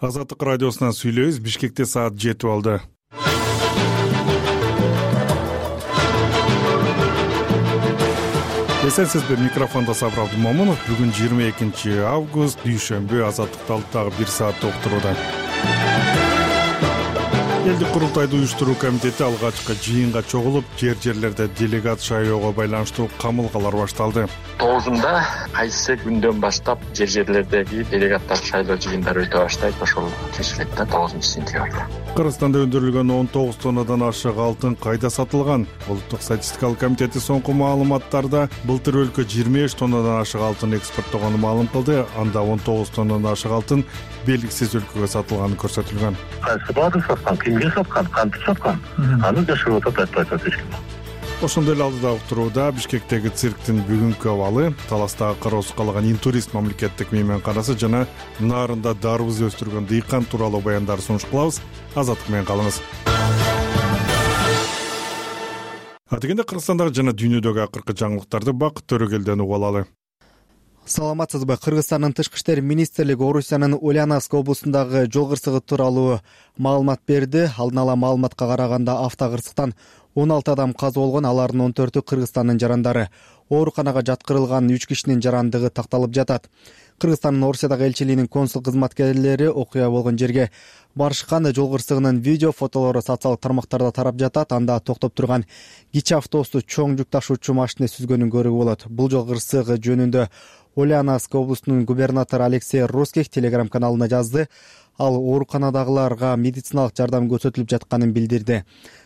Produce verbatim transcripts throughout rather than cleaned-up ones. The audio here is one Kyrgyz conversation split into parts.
Азаттык радиосунан сүйлөйбүз. Бишкекте саат жетип алды. Эсенсизби, микрофондо Сабыр Абдумомунов. Бүгүн жыйырма экинчи август, дүйшөмбү. Азаттыкты алып дагы бир саатта уктурууда. Элдик курултайды уюштуруу комитети алгачкы жыйынга чогулуп, жер жерлерде делегат шайлоого байланыштуу камылгалар башталды. тогузунда кайсы күндөн баштап жер жерлердеги делегаттар шайлоо жыйындары өтө баштайт, ошол чечилет да тогузунчу сентябрда. Кыргызстанда өндүрүлгөн он тогуз тоннадан ашык алтын кайда сатылган? Улуттук статистикалык комитети соңку маалыматтарда былтыр өлкө жыйырма беш тоннадан ашык алтын экспорттогонун маалым кылды. Анда он тогуз тоннадан ашык алтын белгисиз өлкөгө сатылганы көрсөтүлгөн. Кайсы баада саткан, кимге саткан, кантип саткан? Аны жашырып атат, айтпай атат эч ким. Ошондой эле алдыда уктурууда Бишкектеги цирктин бүгүнкү абалы, Таластагы кароосуз калган интурист мамлекеттик мейманканасы жана Нарында дарбыз өстүргөн дыйкан тууралуу баяндар сунуш кылабыз. Азаттык менен калыңыз. Атегенде Кыргызстандагы жана дүйнөдөгү акыркы жаңылыктарды Бакыт Төрөгелден угуп алалы. Саламатсызбы? Кыргызстандын тышкы иштер министрлиги Орусиянын Ульяновск облусундагы жол кырсыгы тууралуу маалымат берди. Алдын ала маалыматка караганда автокырсыктан он алты адам каза болгон, алардын он төртү Кыргызстандын жарандары. Ооруканага жаткырылган үч кишинин жарандыгы такталып жатат. Кыргызстандын Орусиядагы элчилигинин консул кызматкерлери окуя болгон жерге барышкан. Жол кырсыгынын видео, фотолору социалдык тармактарда тарап жатат. Анда токтоп турган кичи автобусту чоң жүк ташуучу машина сүзгөнүн көрүүгө болот. Бул жол кырсыгы жөнүндө Ульяновск облусунун губернатору Алексей Русских телеграм каналына жазды. Ал ооруканадагыларга медициналык жардам көрсөтүлүп жатканын билдирди.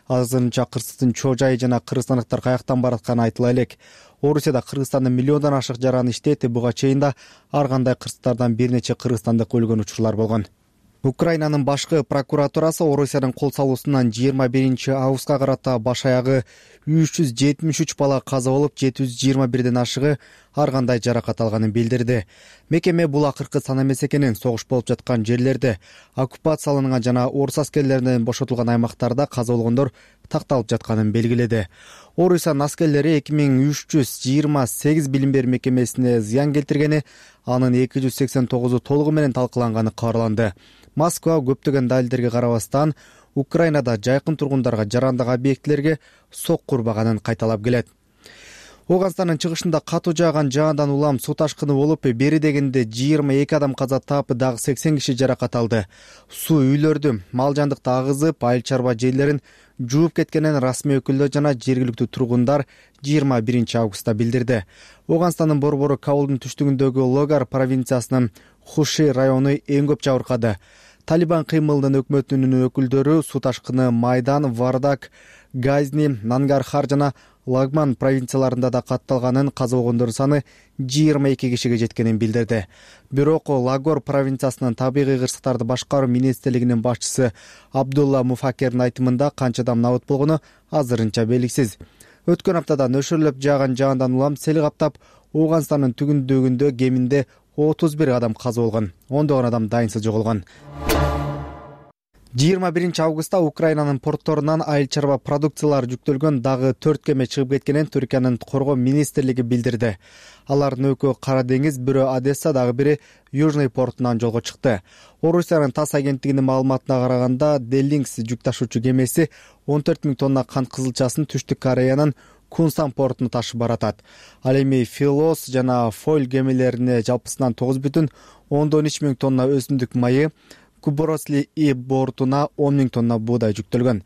Азырынча кырсыктын чоо жайы жана кыргызстандыктар каяктан баратканы айтыла элек. Орусияда Кыргызстандын миллиондон ашык жараны иштейт. Буга чейин да ар кандай кырсыктардан бир нече кыргызстандык өлгөн учурлар болгон. Украинанын башкы прокуратурасы Орусиянын кол салуусунан жыйырма биринчи августка карата баш аягы үч жүз жетимиш үч бала каза болуп, жети жүз жыйырма бирден ашыгы ар кандай жаракат алганын билдирди. Мекеме бул акыркы сан эмес экенин, согуш болуп жаткан жерлерде, оккупацияланган жана орус аскерлеринен бошотулган аймактарда каза болгондор такталып жатканын белгиледи. Орусиянын аскерлери эки миң үч жүз жыйырма сегиз билим берүү мекемесине зыян келтиргени, анын эки жүз сексен тогузу толугу менен талкаланганы кабарланды. Москва көптөгөн далилдерге карабастан Украинада жайкын тургундарга, жарандык объектилерге сокку урбаганын кайталап келет. Оганстандын чыгышында катуу жааган жаандан улам суу ташкыны болуп, бери дегенде жыйырма эки адам каза таап, дагы сексен киши жаракат алды. Суу үйлөрдү, мал жандыкты агызып, айыл чарба жерлерин жууп кеткенин расмий өкүлдөр жана жергиликтүү тургундар жыйырма биринчи августта билдирди. Оганстандын борбору Кабулдун түштүгүндөгү Логар провинциясынын Хуши району эң көп жабыркады. Талибан кыймылынын өкмөтүнүн өкүлдөрү суу ташкыны Майдан, Вардак, Газни, Нангархар жана Лагман провинцияларында да катталганын, каза болгондордун саны жыйырма эки кишиге жеткенин билдирди. Бирок Лагор провинциясынын табигый кырсыктарды башкаруу министрлигинин башчысы Абдулла Муфакердин айтымында канча адам набыт болгону азырынча белгисиз. Өткөн аптада нөшөрлөп жааган жаандан улам сел каптап, Оганстандын түгүндөгүндө кеминде отуз бир адам каза болгон, ондогон адам дайынсыз жоголгон. жыйырма биринчи августта Украинанын портторунан айыл чарба продукциялар жүктөлгөн дагы төрт кеме чыгып кеткенин Түркиянын коргоо министрлиги билдирди. Алардын экөө Кара деңиз, бирөө Одесса, дагы бири Южный портунан жолго чыкты. Орусиянын ТАСС агенттигинин маалыматына караганда, Деллингс жүк ташуучу кемеси он төрт миң тонна кант кызылчасын Түштүк Кореянын Кунсан портуна ташып баратат. Ал эми Филос жана Фойл кемелерине жалпысынан тогуз бүтүн ондон үч миң тонна өсүмдүк майы, Куборосли И бортуна он миң тонна буудай жүктөлгөн.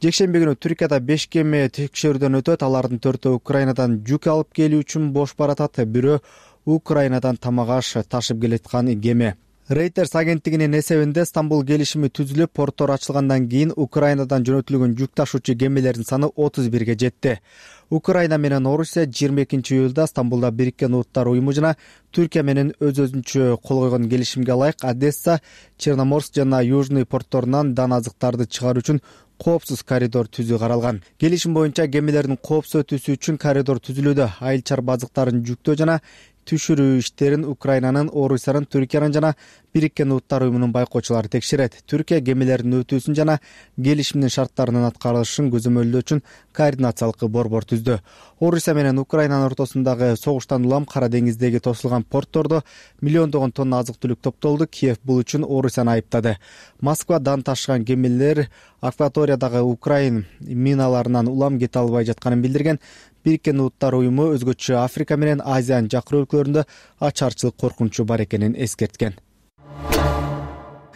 Жекшемби күнү Түркияда беш кеме текшерүүдөн өтөт. Алардын төртөө Украинадан жүк алып келүү үчүн бош баратат. Бирөө Украинадан тамак аш ташып келаткан кеме. Reuters агенттигинин эсебинде Стамбул келишими түзүлүп, порттор ачылгандан кийин Украинадан жөнөтүлгөн жүк ташуучу кемелердин саны отуз бирге жетти. Украина менен Орусия жыйырма экинчи июлда Стамбулда Бириккен Улуттар уюму жана Түркия менен өз-өзүнчө кол койгон келишимге ылайык Одесса, Черноморск жана Южный портторунан дан азыктарды чыгаруу үчүн коопсуз коридор түзүү каралган. Келишим боюнча кемелердин коопсуз өтүүсү үчүн коридор түзүлүүдө. Айыл чарба азыктарын жүктөө жана түшүрүү иштерин Украинанын, Орусиянын, Түркиянын жана Бириккен Уттар уюмунун байкоочулары текшерет. Түркия кемелердин өтүүсүн жана келишимдин шарттарынын аткарылышын көзөмөлдөө үчүн координациялык борбор түздү. Орусия менен Украинанын ортосундагы согуштан улам Кара деңиздеги тосулган порттордо миллиондогон тонна азык-түлүк топтолду. Киев бул үчүн Орусияны айыптады. Москвадан ташыган кемелер акваториядагы Украин миналарынан улам кете албай жатканын билдирген. Бириккен Уттар уюму өзгөчө Африка менен Азиянын жакын өлкөлөрүндө ачарчылык коркунучу бар экенин эскерткен.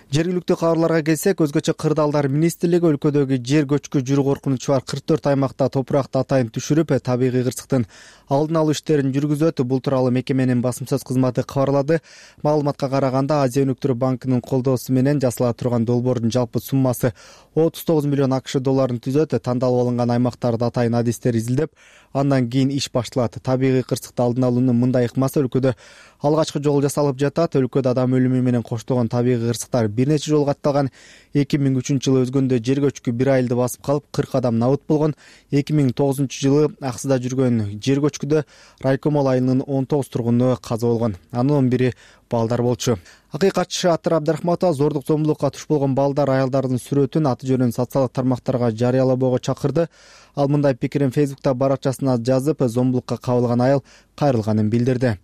Жергиликтүү кабарларга келсек, өзгөчө Кырдаалдар министрлиги өлкөдөгү жер көчкү жүрүү коркунучу бар кырк төрт аймакта топуракты атайын түшүрүп, табигый кырсыктын алдын алуу иштерин жүргүзөт. Бул тууралуу мекеменин басым сөз кызматы кабарлады. Маалыматка караганда, Азия өнүктүрүү банкынын колдоосу менен жасала турган долбоордун жалпы суммасы отуз тогуз миллион акш долларын түзөт. Тандалып алынган аймактарда атайын адистер изилдеп, андан кийин иш башталат. Табигый кырсыкты алдын алуунун мындай ыкмасы өлкөдө алгачкы жолу жасалып жатат. Өлкөдө адам өлүмү менен коштолгон табигый кырсыктар бир нече жолу катталган. эки миң үчүнчү жылы өзгөндө жер көчкү бир айылды басып калып, кырк адам набыт болгон. эки миң тогузунчу жылы Аксыда жүргөн жер көчкүдө Райкомол айылынын он тогуз тургуну каза болгон. Анын он бири балдар болчу. Акыйкатчы Атыр Абдрахматова зордук зомбулукка туш болгон балдар, аялдардын сүрөтүн аты жөнүн социалдык тармактарга жарыялабоого чакырды. Ал мындай пикирин Фейсбукта баракчасына жазып, зомбулукка кабылган айыл кайрылганын билдирди.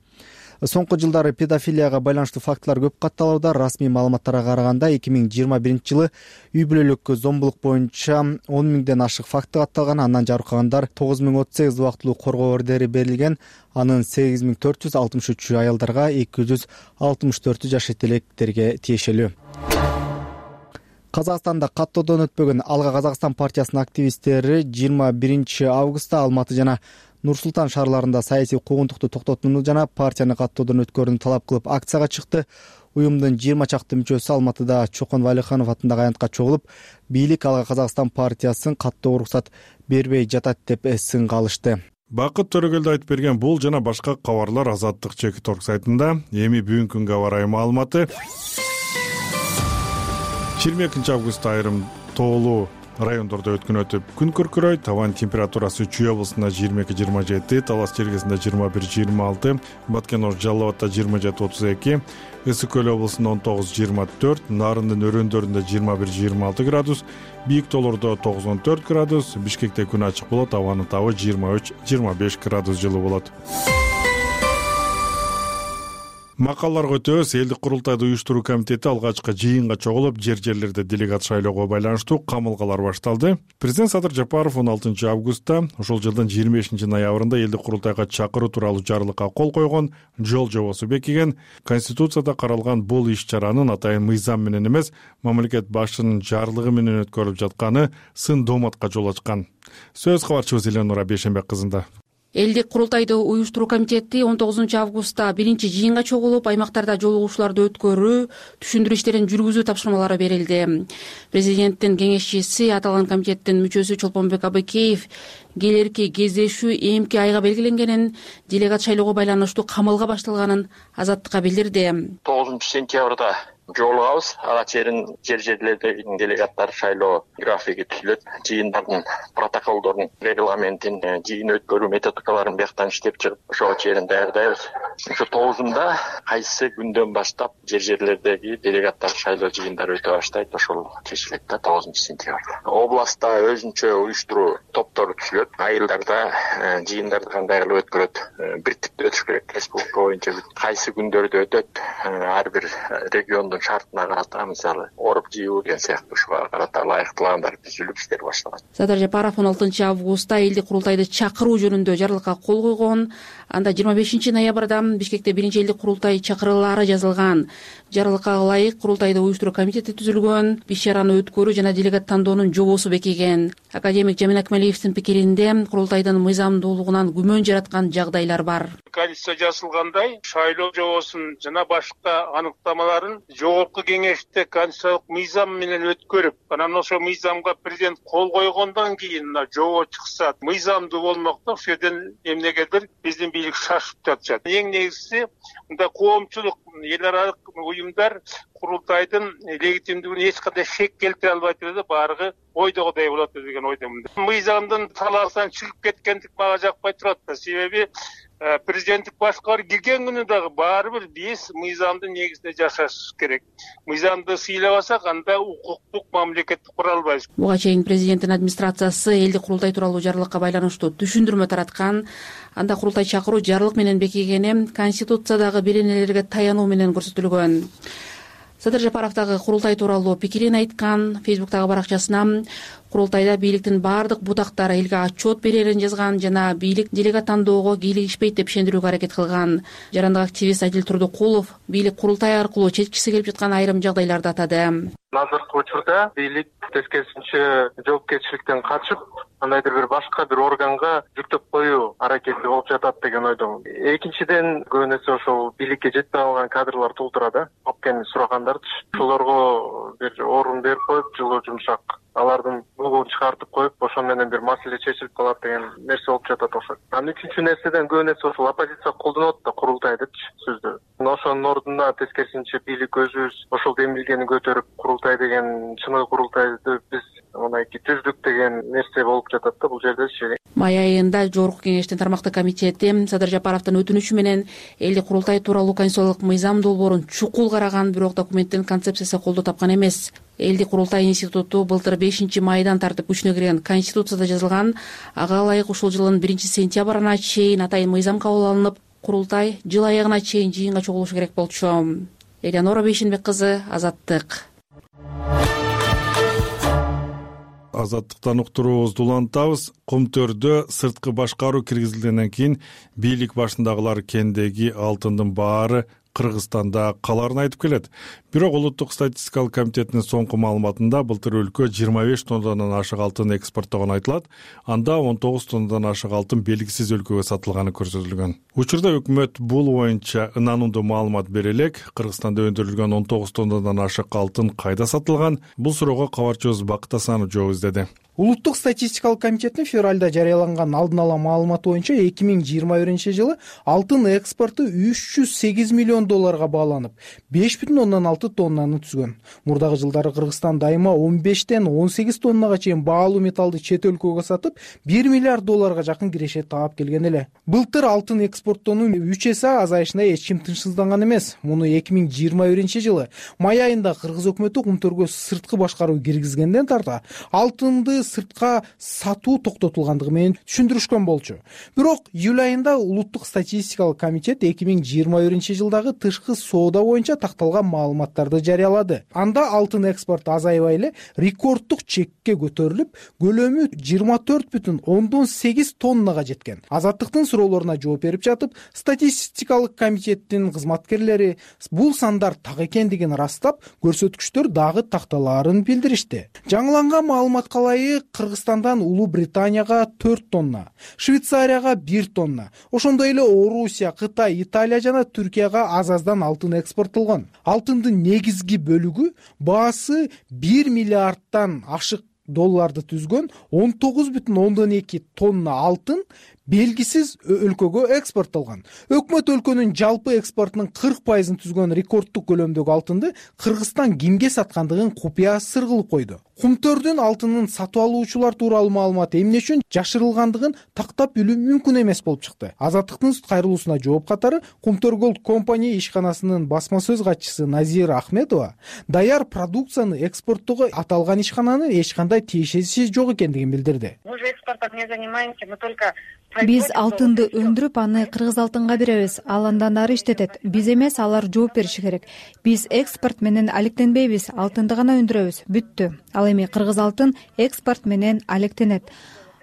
Соңку жылдары педофилияга байланыштуу фактылар көп катталууда. Расмий маалыматтарга караганда, эки миң жыйырма биринчи жылы үй бүлөлүк зомбулук боюнча он миңден ашык факты катталган. Андан жарыккандар тогуз миң отуз сегиз убактылуу коргоо ордери берилген. Анын сегиз миң төрт жүз алтымыш үчү аялдарга, эки жүз алтымыш төртү жаш этелектерге тиешелүү. Казакстанда каттоодон өтпөгөн Алга Казакстан партиясынын активисттери жыйырма биринчи августта Алматы жана Нур-Султан шаарларында саясий куугунтукту токтотууну жана партияны каттоодон өткөрүүнү талап кылып акцияга чыкты. Уюмдун жыйырма чакты мүчөсү Алматыда Чокон Валиханов атындагы аянтка чогулуп, бийлик Алга Казакстан партиясын каттоого уруксат бербей жатат деп сынга алышты. Бакыт Төрөгөлдү айтып берген бул жана башка кабарлар Азаттык чекит орг сайтында. Эми бүгүнкү күнгө барай маалыматы. жыйырма экинчи августта айрым тоолуу райондордо өткөн өтүп күн күркүрөйт. Абанын температурасы Чүй облусунда жыйырма эки жыйырма жети, Талас Чергесинде жыйырма бир жыйырма алты, Баткен-Ор Жалал Абадта жыйырма жети отуз эки, Ысык Көл облусунда он тогуз жыйырма төрт, Нарындын өрөөндөрүндө жыйырма бир жыйырма алты градус, Бийик тоолордо тогуз он төрт градус, Бишкекте күн ачык болот, абанын табы жыйырма үч жыйырма беш градус жылуу болот. Макалларга өтөбүз. Элдик курултайды уюштуруу комитети алгачкы жыйынга чогулуп, жер-жерлерде делегат шайлоого байланыштуу камылгалар башталды. Президент Садыр Жапаров он алтынчы августта ошол жылдын жыйырма бешинчи ноябрында элдик курултайга чакыруу тууралуу жарлыкка кол койгон, жол жобосу бекиген. Конституцияда каралган бул иш-чаранын атайын мыйзам менен эмес, мамлекет башчынын жарлыгы менен өткөрүлүп жатканы сын дооматка жол ачкан. Сөз кабарчыбыз Эленура Бейшенбек кызында. Элдик курултайды уюштуруу комитети он тогузунчу августта биринчи жыйынга чогулуп, аймактарда жолугушууларды өткөрүү, түшүндүрүү иштерин жүргүзүү тапшырмалары берилди. Президенттин кеңешчиси, аталган комитеттин мүчөсү Чолпонбек Абыкеев келерки кездешүү эмки айга белгиленгенин, делегат шайлоого байланыштуу камалга башталганын Азаттыкка билдирди. тогузунчу сентябрда жолугабыз. Ага чейин жер-жерлердеги делегаттар шайлоо графиги түзүлөт. Жыйындардын протоколдорун, регламентин, жыйын өткөрүү методикаларын бияктан иштеп чыгып, ошого чейин даярдайбыз. Ошо тогузунда кайсы күндөн баштап жер-жерлердеги делегаттар шайлоо жыйындары өтө баштайт, ошол чечилет да тогузунчу сентябрда. Областта өзүнчө уюштуруу топтору түзүлөт. Айылдарда жыйындарды кандай кылып өткөрөт, бир типтүү өтүш керек. Республика боюнча кайсы күндөрдө өтөт, ар бир регион шартына карата, мисалы оруп жыйуу деген сыяктуу ушуга карата ылайыктууландар түзүлүп иштер башталат. Садыр Жапаров он алтынчы августта элдик курултайды чакыруу жөнүндө жарлыкка кол койгон. Анда жыйырма бешинчи ноябрда Бишкекте биринчи элдик курултай чакырылаары жазылган. Жарлыкка ылайык курултайды уюштуруу комитети түзүлгөн, иш-чараны өткөрүү жана делегат тандоонун жобосу бекиген. Академик Жамин Акмалиевдин пикиринде, курултайдын мыйзамдуулугунан күмөн жараткан жагдайлар бар. Конституция жазылгандай, шайлоо жобосун жана башка аныктамаларын жогорку кеңеште конституциялык мыйзам менен өткөрүп, анан ошол мыйзамга президент кол койгондон кийин жобо чыкса, мыйзамдуу болмокто, ошол жерден эмнегедир биздин бийлик шашып жатышат. Эң негизгиси, мындай коомчулук, эл аралык уюмдар курултайдын легитимдүүлүгүнө эч кандай шек келтире албайт эле, барыгы ойдогудай болот деген ойдомун. Мыйзамдын талаасынан чыгып кеткендик мага жакпай турат да, себеби Президенттик башкаруу кирген күнү дагы баары бир биз мыйзамдын негизинде жашаш керек. Мыйзамды сыйлабасак, анда укуктук мамлекетти кура албайбыз. Буга чейин президенттин администрациясы элдик курултай тууралуу жарлыкка байланыштуу түшүндүрмө тараткан. Анда курултай чакыруу жарлык менен бекигени Конституциядагы беренелерге таянуу менен көрсөтүлгөн. Садыр Жапаров дагы курултай тууралуу пикирин айткан. Фейсбуктагы баракчасына курултайда бийликтин баардык бутактары элге отчет берерин жазган жана бийлик делегат тандоого кийлигишпейт деп ишендирүүгө аракет кылган. Жарандык активист Адил Турдукулов бийлик курултай аркылуу чечкиси келип жаткан айрым жагдайларды атады. Азыркы учурда бийлик тескерисинче жоопкерчиликтен качып, кандайдыр бир башка бир органга жүктөп коюу аракети болуп жатат деген ойдомун. Экинчиден, көбүнесе ошол бийликке жетпей калган кадрлар толтурат, опкени сурагандарчы. Ошолорго бир орун берип коюп, жылуу жумшак алардын бугун чыгартып коюп, ошол менен бир маселе чечилип калат деген нерсе болуп жатат окшойт. Анан үчүнчү нерседен көбүнесе ошол оппозиция колдонот да курултайдычы сөздү. Ошонун ордуна тескерисинче бийлик өзүбүз ошол демилгени көтөрүп, курултай деген чыныгы курултайды биз мынайки түздүк деген нерсе болуп жатат да бул жердечи. Май айында Жогорку кеңештин тармактык комитети Садыр Жапаровдун өтүнүчү менен элдик курултай тууралуу конституциялык мыйзам долбоорун чукул караган, бирок документтин концепциясы колдоо тапкан эмес. Элдик курултай институту былтыр бешинчи майдан тартып күчүнө кирген Конституцияда жазылган, ага ылайык ушул жылдын биринчи сентябрына чейин атайын мыйзам кабыл алынып, курултай жыл аягына чейин жыйынга чогулушу керек болчу. Элянора Бейшенбек кызы, Азаттык. Азаттыктан уктуруубузду улантабыз. Кумтөрдө сырткы башкаруу киргизилгенден кийин бийлик башындагылар кендеги алтындын баары Кыргызстанда каларын айтып келет. Бирок улуттук статистикалык комитеттин соңку маалыматында былтыр өлкө жыйырма беш тоннадан ашык алтын экспорттогон айтылат. Анда он тогуз тоннадан ашык алтын белгисиз өлкөгө сатылганы көрсөтүлгөн. Учурда өкмөт бул боюнча ынанымдуу маалымат бере элек. Кыргызстанда өндүрүлгөн он тогуз тоннадан ашык алтын кайда сатылган? Бул суроого кабарчыбыз Бакыт Асанов жооп издеди. Улуттук статистикалык комитеттин февралда жарыяланган алдын ала маалыматы боюнча эки миң жыйырма биринчи жылы алтын экспорту үч жүз сегиз миллион долларга бааланып, беш бүтүн ондон алты тоннаны түзгөн. Мурдагы жылдары Кыргызстан дайыма он бештен он сегиз тоннага чейин баалуу металлды чет өлкөгө сатып, бир миллиард долларга жакын киреше таап келген эле. Былтыр алтын экспорттоонун үч эсе азайышына эч ким тынчсызданган эмес. Муну эки миң жыйырма биринчи жылы май айында Кыргыз өкмөтү Кумтөргө сырткы башкаруу киргизгенден тарта алтынды сыртка сатуу токтотулгандыгы менен түшүндүрүшкөн болчу. Бирок июль айында улуттук статистикалык комитет эки миң жыйырма биринчи жылдагы тышкы соода боюнча такталган маалыматтарды жарыялады. Анда алтын экспорту азайбай эле рекорддук чекке көтөрүлүп, көлөмү жыйырма төрт бүтүн ондон сегиз тоннага жеткен. Азаттыктын суроолоруна жооп берип жатып, статистикалык комитеттин кызматкерлери бул сандар так экендигин ырастап, көрсөткүчтөр дагы такталаарын билдиришти. Жаңыланган маалыматка ылайык Кыргызстандан Улуу Британияга төрт тонна, Швейцарияга бир тонна, ошондой эле Орусия, Кытай, Италия жана Түркияга аз-аздан алтын экспорттолгон. Алтындын негизги бөлүгү баасы бир миллиардтан ашык долларды түзгөн он тогуз бүтүн ондон эки тонна алтын белгисиз өлкөгө экспорттолгон. Өкмөт өлкөнүн жалпы экспортунун кырк пайызын түзгөн рекорддук көлөмдөгү алтынды Кыргызстан кимге саткандыгын купуя сыр кылып койду. Кумтөрдүн алтынын сатып алуучулар тууралуу маалымат эмне үчүн жашырылгандыгын тактап билүү мүмкүн эмес болуп чыкты. Азаттыктын кайрылуусуна жооп катары Кумтөр Голд компания ишканасынын басма сөз катчысы Назира Ахметова даяр продукцияны экспорттоого аталган ишкананын эч кандай тиешеси жок экендигин билдирди. Биз алтынды өндүрүп, аны кыргыз алтынга беребиз. Ал андан ары иштетет. Биз эмес, алар жооп бериши керек. Биз экспорт менен алектенбейбиз, алтынды гана өндүрөбүз. Бүттү. Ал эми кыргыз алтын экспорт менен алектенет.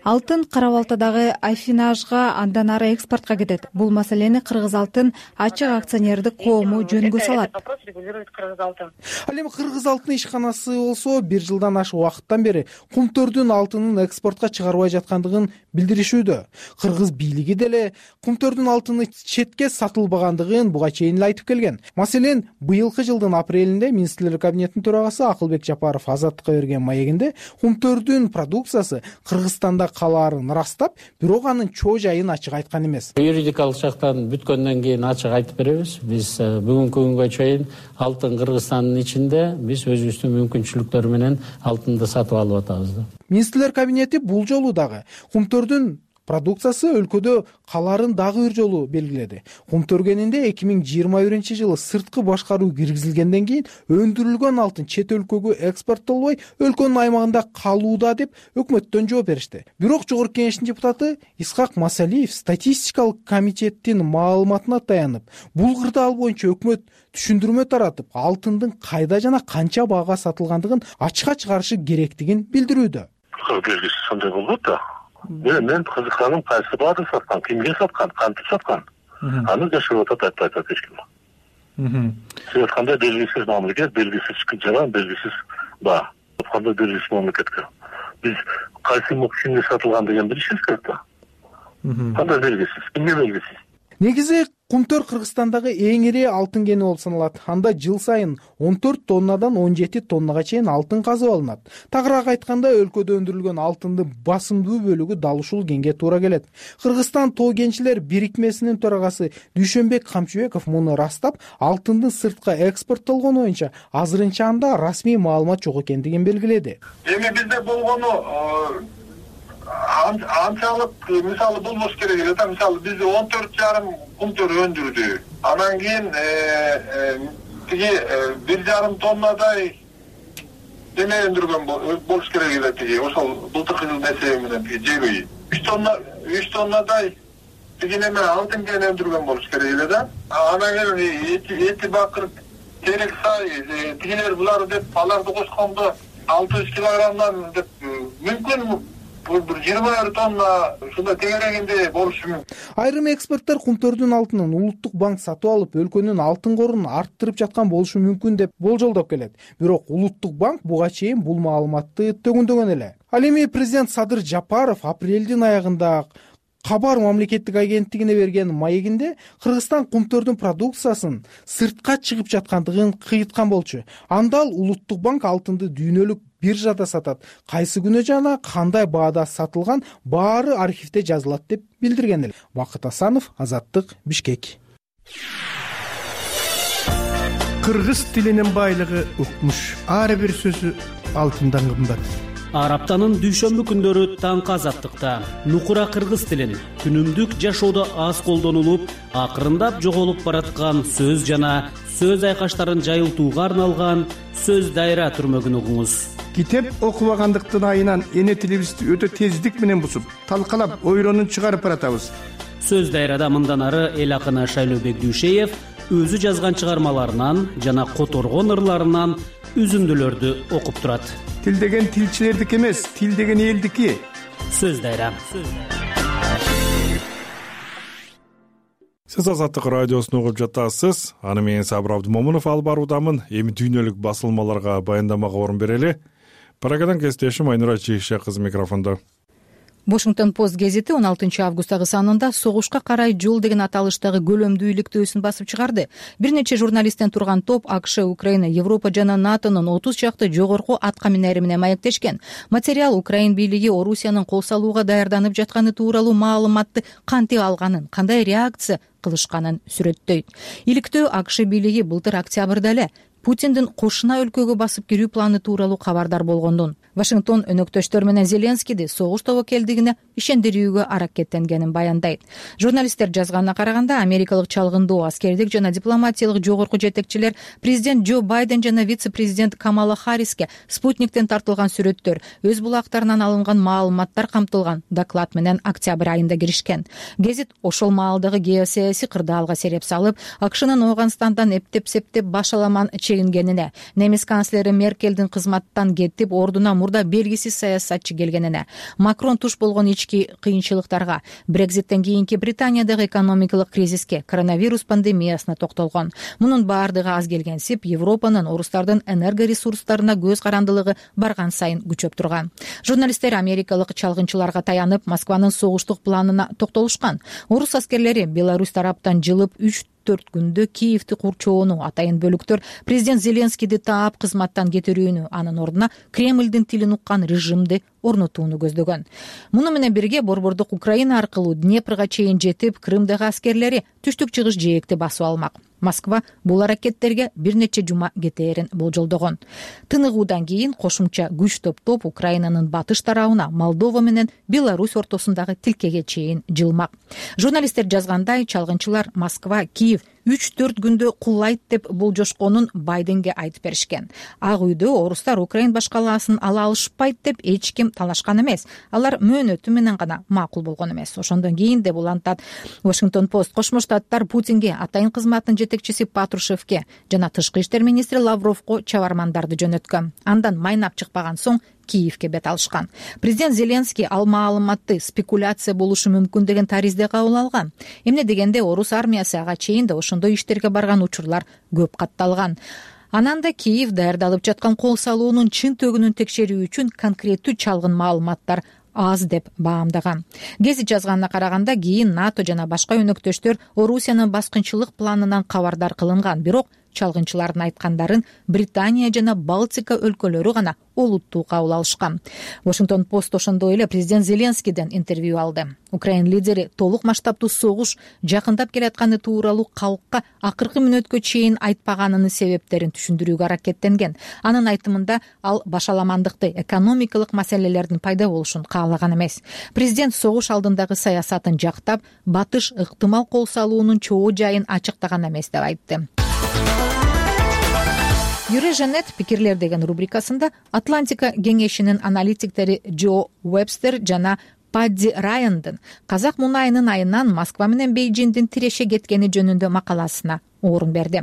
Алтын Кара Балтадагы Афинажга, андан ары экспортко кетет. Бул маселени Кыргыз алтын ачык акционердик коому жөнгө салат. Ал эми кыргыз алтын ишканасы болсо бир жылдан ашык убакыттан бери Кумтөрдүн алтынын экспортко чыгарбай жаткандыгын билдиришүүдө. Кыргыз бийлиги деле Кумтөрдүн алтыны четке сатылбагандыгын буга чейин эле айтып келген. Маселен, быйылкы жылдын апрелинде Министрлер кабинетинин төрагасы Акылбек Жапаров Азаттыкка берген маегинде Кумтөрдүн продукциясы Кыргызстанда калаарын ырастап, бирок анын чоо жайын ачык айткан эмес. Юридикалык жактан бүткөндөн кийин ачык айтып беребиз. Биз бүгүнкү күнгө чейин алтын Кыргызстандын ичинде биз өзүбүздүн мүмкүнчүлүктөр менен алтынды сатып алып атабыз. Министрлер кабинети бул жолу дагы Кумтөрдүн продукциясы өлкөдө калаарын дагы бир жолу белгиледи. Кумтөргенинде эки миң жыйырма биринчи жылы сырткы башкаруу киргизилгенден кийин өндүрүлгөн алтын чет өлкөгө экспорттолбой өлкөнүн аймагында калууда деп өкмөттөн жооп беришти. Бирок Жогорку Кеңештин депутаты Исхак Масалиев статистикалык комитеттин маалыматына таянып, бул кырдаал боюнча өкмөт түшүндүрмө таратып, алтындын кайда жана канча баага сатылгандыгын ачыкка чыгарышы керектигин билдирүүдө. Белгисиз сондай болот да. Мен кызыкканым кайсы баада саткан, кимге саткан, кантип саткан. Аны жашырып атат, айтпай атат эч ким. Сиз айткандай белгисиз мамлекет, белгисиз жаран, белгисиз баа. Кандай белгисиз мамлекетке. Биз кайсы кимге сатылган деген билишибиз керек да. Кандай белгисиз, кимге белгисиз. Негизи Кумтөр Кыргызстандагы эң ири алтын кени болуп саналат. Анда жыл сайын он төрт тоннадан он жети тоннага чейин алтын казып алынат. Тагыраак айтканда, өлкөдө өндүрүлгөн алтындын басымдуу бөлүгү дал ушул кенге туура келет. Кыргызстан тоо кенчилер бирикмесинин төрагасы Дүйшөнбек Камчыбеков муну растап, алтындын сыртка экспорттолгону боюнча азырынча анда расмий маалымат жок экендигин белгиледи. Эми бизде болгону анчалык, мисалы болбош керек эле да. Мисалы биз он төрт жарым кумтөр өндүрдү. Анан кийин тиги бир жарым тоннадай эме өндүргөн болуш керек эле тиги. Ошол былтыркы жылдын эсеби менен тиги жебей. үч тонна, үч тоннадай тиги неме алтын кен өндүргөн болуш керек эле да. Анан кийин эти бакыр, терек сай, тигилер булар деп аларды кошкондо алты жүз килограммдан деп мүмкүн бир жыйырма бир тонна ушундай тегерегинде болушу мүмкүн. Айрым эксперттер Кумтөрдүн алтынын Улуттук банк сатып алып, өлкөнүн алтын корун арттырып жаткан болушу мүмкүн деп болжолдоп келет. Бирок Улуттук банк буга чейин бул маалыматты төгүндөгөн эле. Ал эми президент Садыр Жапаров апрелдин аягында Кабар мамлекеттик агенттигине берген маегинде Кыргызстан Кумтөрдүн продукциясын сыртка чыгып жаткандыгын кыйыткан болчу. Анда ал Улуттук банк алтынды дүйнөлүк биржада сатат. Кайсы күнү жана кандай баада сатылган баары архивде жазылат деп билдирген эле. Бакыт Асанов, Азаттык, Бишкек. Кыргыз тилинин байлыгы укмуш. Ар бир сөзү алтындан кымбат. Ар аптанын дүйшөмбү күндөрү таңкы Азаттыкта нукура кыргыз тилин күнүмдүк жашоодо аз колдонулуп, акырындап жоголуп бараткан сөз жана сөз айкаштарын жайылтууга арналган сөз дайра түрмөгүн угуңуз. Китеп окубагандыктын айынан эне тилибизди өтө тездик менен бусуп, талкалап, ойронун чыгарып баратабыз. Сөз дайрада мындан ары эл акыны Шайлообек Дүйшеев өзү жазган чыгармаларынан жана которгон ырларынан үзүндүлөрдү окуп турат. Тил деген тилчилердики эмес, тил деген элдики. Сөз дайра. Сиз Азаттык радиосун угуп жатасыз. Аны менен Сабыр Абдымомунов алып баруудамын. Эми дүйнөлүк басылмаларга баяндамага орун берели. Парагадан кесиптешим Айнура Чийише кызы микрофондо. Washington Post гезити он алтынчы августтагы санында согушка карай жол деген аталыштагы көлөмдүү иликтөөсүн басып чыгарды. Бир нече журналисттен турган топ АКШ, Украина, Европа жана НАТОнун отуз чакты жогорку атка минери менен маектешкен. Материал Украин бийлиги Орусиянын кол салууга даярданып жатканы тууралуу маалыматты кантип алганын, кандай реакция кылышканын сүрөттөйт. Иликтөө АКШ бийлиги былтыр октябрда эле Путиндин кошуна өлкөгө басып кирүү планы тууралуу кабардар болгондун. Вашингтон өнөктөштөр менен Зеленскийди согуш тобокелдигине ишендирүүгө аракеттенгенин баяндайт. Журналисттер жазганына караганда, америкалык чалгындоо, аскердик жана дипломатиялык жогорку жетекчилер президент Джо Байден жана вице-президент Камала Харриске спутниктен тартылган сүрөттөр, өз булактарынан алынган маалыматтар камтылган доклад менен октябрь айында киришкен. Гезит ошол маалдагы геосаясий кырдаалга сереп салып, АКШнын Ооганстандан эптеп-септеп башаламан чегингенине, немис канцлери Меркелдин кызматтан кетип, ордуна мурда белгисиз саясатчы келгенине, Макрон туш болгон ички кыйынчылыктарга, Брекзиттен кийинки Британиядагы экономикалык кризиске, коронавирус пандемиясына токтолгон. Мунун баардыгы аз келгенсип, Европанын орустардын энергоресурстарына көз карандылыгы барган сайын күчөп турган. Журналисттер америкалык чалгынчыларга таянып, Москванын согуштук планына токтолушкан. Орус аскерлери Беларусь тараптан жылып үч төрт күндө Киевти курчоону, атайын бөлүктөр президент Зеленскийди таап кызматтан кетирүүнү, анын ордуна Кремлдин тилин уккан режимди орнотууну көздөгөн. Муну менен бирге борбордук Украина аркылуу Днепрга чейин жетип, Крымдагы аскерлери түштүк чыгыш жээкти басып алмак. Москва бул аракеттерге бир нече жума кетээрин болжолдогон. Тыныгуудан кийин кошумча күч топтоп Украинанын батыш тарабына Молдова менен Беларусь ортосундагы тилкеге чейин жылмак. Журналисттер жазгандай, чалгынчылар Москва, Киев үч төрт күндө кулайт деп болжошконун Байденге айтып беришкен. Ак үйдө орустар Украин башкалаасын ала алышпайт деп эч ким талашкан эмес. Алар мөөнөтү менен гана макул болгон эмес. Ошондон кийин деп улантат Washington Post. Кошмо Штаттар Путинге, атайын кызматтын жетекчиси Патрушевке жана тышкы иштер министри Лавровго чабармандарды жөнөткөн. Андан майнап чыкпаган соң Киевке бет алышкан. Президент Зеленский ал маалыматты спекуляция болушу мүмкүн деген таризде кабыл алган. Эмне дегенде орус армиясы ага чейин да ошондой иштерге барган учурлар көп катталган. Анан да Киев даярдалып жаткан кол салуунун чын төгүнүн текшерүү үчүн конкреттүү чалгын маалыматтар аз деп баамдаган. Гезит жазганына караганда, кийин НАТО жана башка өнөктөштөр Орусиянын баскынчылык планынан кабардар кылынган, бирок чалгынчылардын айткандарын Британия жана Балтика өлкөлөрү гана олуттуу кабыл алышкан. Washington Post ошондой эле президент Зеленскийден интервью алды. Украин лидери толук масштабтуу согуш жакындап келатканы тууралуу калкка акыркы мүнөткө чейин айтпаганынын себептерин түшүндүрүүгө аракеттенген. Анын айтымында ал башаламандыкты, экономикалык маселелердин пайда болушун каалаган эмес. Президент согуш алдындагы саясатын жактап, батыш ыктымал кол салуунун чоо жайын ачыктаган эмес деп айтты. Юреженет пикирлер деген рубрикасында Атлантика кеңешинин аналитиктери Джо Уэбстер жана Падди Райандын казак мунайынын айынан Москва менен Бейжиңдин тиреше кеткени жөнүндө макаласына орун берди.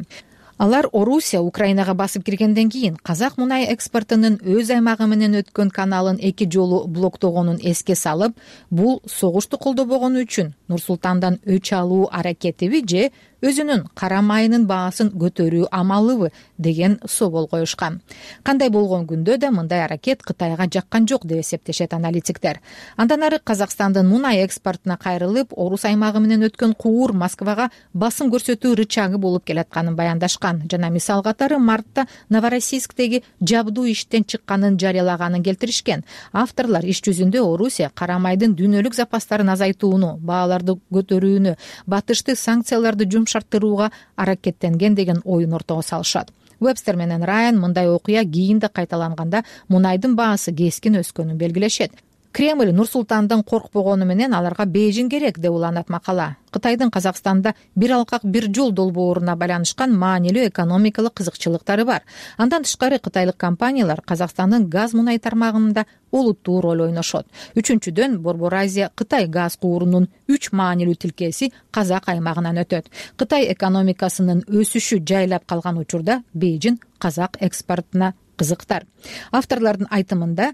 Алар Орусия Украинага басып киргенден кийин казак мунай экспортунун өз аймагы менен өткөн каналын эки жолу блоктогонун эске салып, бул согушту колдобогону үчүн Нур-Султандан өч алуу аракетиби же өзүнүн кара майынын баасын көтөрүү амалыбы деген собол коюшкан. Кандай болгон күндө да мындай аракет Кытайга жаккан жок деп эсептешет аналитиктер. Андан ары Казакстандын мунай экспортуна кайрылып, Орус аймагы менен өткөн куур Москвага басым көрсөтүү рычагы болуп келатканын баяндашкан жана мисал катары мартта Новороссийсктеги жабдуу иштен чыкканын жарыялаганын келтиришкен. Авторлар иш жүзүндө Орусия кара майдын дүйнөлүк запастарын азайтууну, бааларды көтөрүүнү, батышты санкцияларды жумшарттырууга аракеттенген деген оюн ортого салышат. Уэбстер менен Райан мындай окуя кийин да кайталанганда мунайдын баасы кескин өскөнүн белгилешет. Кремль Нур-Султандан коркпогону менен аларга Бейжиң керек деп уланат макала. Кытайдын Казакстанда бир алкак бир жол долбооруна байланышкан маанилүү экономикалык кызыкчылыктары бар. Андан тышкары кытайлык компаниялар Казакстандын газ мунай тармагында олуттуу роль ойношот. Үчүнчүдөн Борбор Азия Кытай газ куурунун үч маанилүү тилкеси Казак аймагынан өтөт. Кытай экономикасынын өсүшү жайлап калган учурда Бейжиң Казак экспортуна кызыктар. Авторлордун айтымында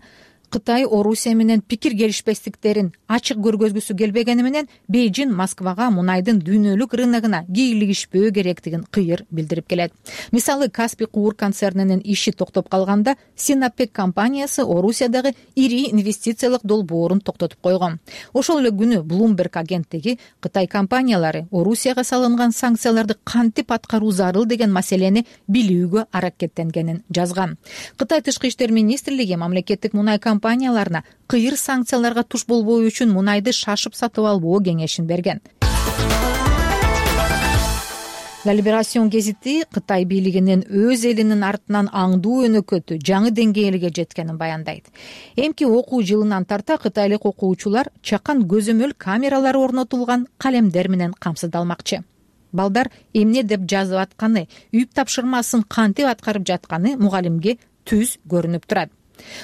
Кытай Орусия менен пикир келишпестиктерин ачык көргөзгүсү келбегени менен Бейжиң Москвага мунайдын дүйнөлүк рыногуна кийлигишпөө керектигин кыйыр билдирип келет. Мисалы, Каспий куур концернинин иши токтоп калганда Синопек компаниясы Орусиядагы ири инвестициялык долбоорун токтотуп койгон. Ошол эле күнү Bloomberg агенттиги Кытай компаниялары Орусияга салынган санкцияларды кантип аткаруу зарыл деген маселени билүүгө аракеттенгенин жазган. Кытай тышкы иштер министрлиги мамлекеттик мунай компанияларына кыйыр санкцияларга туш болбоо үчүн мунайды шашып сатып албоо кеңешин берген. La Liberation гезити Кытай бийлигинин өз элинин артынан аңдуу өнөкөтү жаңы деңгээлге жеткенин баяндайт. Эмки окуу жылынан тарта кытайлык окуучулар чакан көзөмөл камералары орнотулган калемдер менен камсыздалмакчы. Балдар эмне деп жазып атканы, үйүп тапшырмасын кантип аткарып жатканы мугалимге түз көрүнүп турат.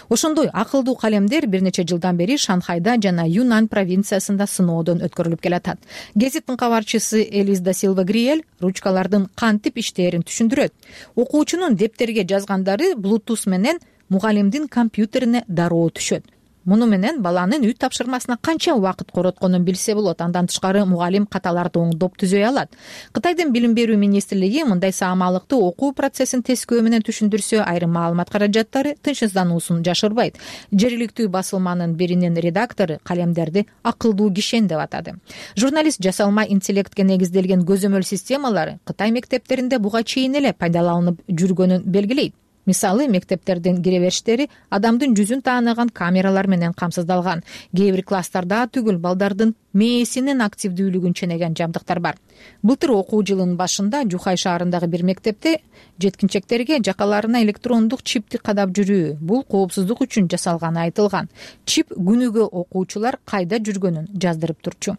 Ошондой акылдуу калемдер бир нече жылдан бери Шанхайда жана Юнан провинциясында сыноодон өткөрүлүп келатат. Гезиттин кабарчысы Элис да Силва Гриэль ручкалардын кантип иштээрин түшүндүрөт. Окуучунун дептерге жазгандары Bluetooth менен мугалимдин компьютерине дароо түшөт. Муну менен баланын үй тапшырмасына канча убакыт коротконун билсе болот. Андан тышкары мугалим каталарды оңдоп түзөй алат. Кытайдын билим берүү министрлиги мындай саамалыкты окуу процессин тескөө менен түшүндүрсө, айрым маалымат каражаттары тынчсыздануусун жашырбайт. Жергиликтүү басылманын биринин редактору калемдерди акылдуу кишен деп атады. Журналист жасалма интеллектке негизделген көзөмөл системалары Кытай мектептеринде буга чейин эле пайдаланылып жүргөнүн белгилейт. мисалы мектептердин кире бериштери адамдын жүзүн тааныган камералар менен камсыздалган. Кээ бир класстарда түгүл балдардын мээсинин активдүүлүгүн ченеген жабдыктар бар. Былтыр окуу жылынын башында Жухай шаарындагы бир мектепте жеткинчектерге жакаларына электрондук чипти кадап жүрүү бул коопсуздук үчүн жасалганы айтылган. Чип күнүгө окуучулар кайда жүргөнүн жаздырып турчу.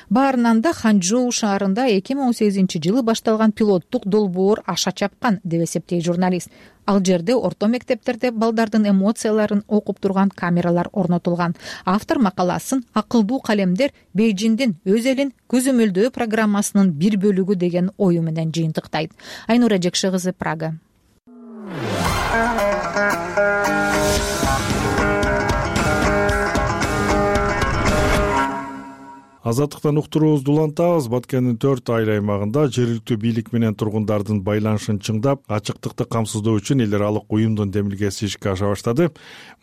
Баарынан да Ханчжоу шаарында эки миң он сегизинчи жылы башталган пилоттук долбоор аша чапкан деп эсептейт журналист. Ал жерде орто мектептерде балдардын эмоцияларын окуп турган камералар орнотулган. Автор макаласын акылдуу калемдер Бейжиңдин өз элин көзөмөлдөө программасынын бир бөлүгү деген ою менен жыйынтыктайт. Айнура Жекши кызы, Прага. Азаттыктан уктуруубузду улантабыз. Баткендин төрт айыл аймагында жергиликтүү бийлик менен тургундардын байланышын чыңдап, ачыктыкты камсыздоо үчүн эл аралык уюмдун демилгеси ишке аша баштады.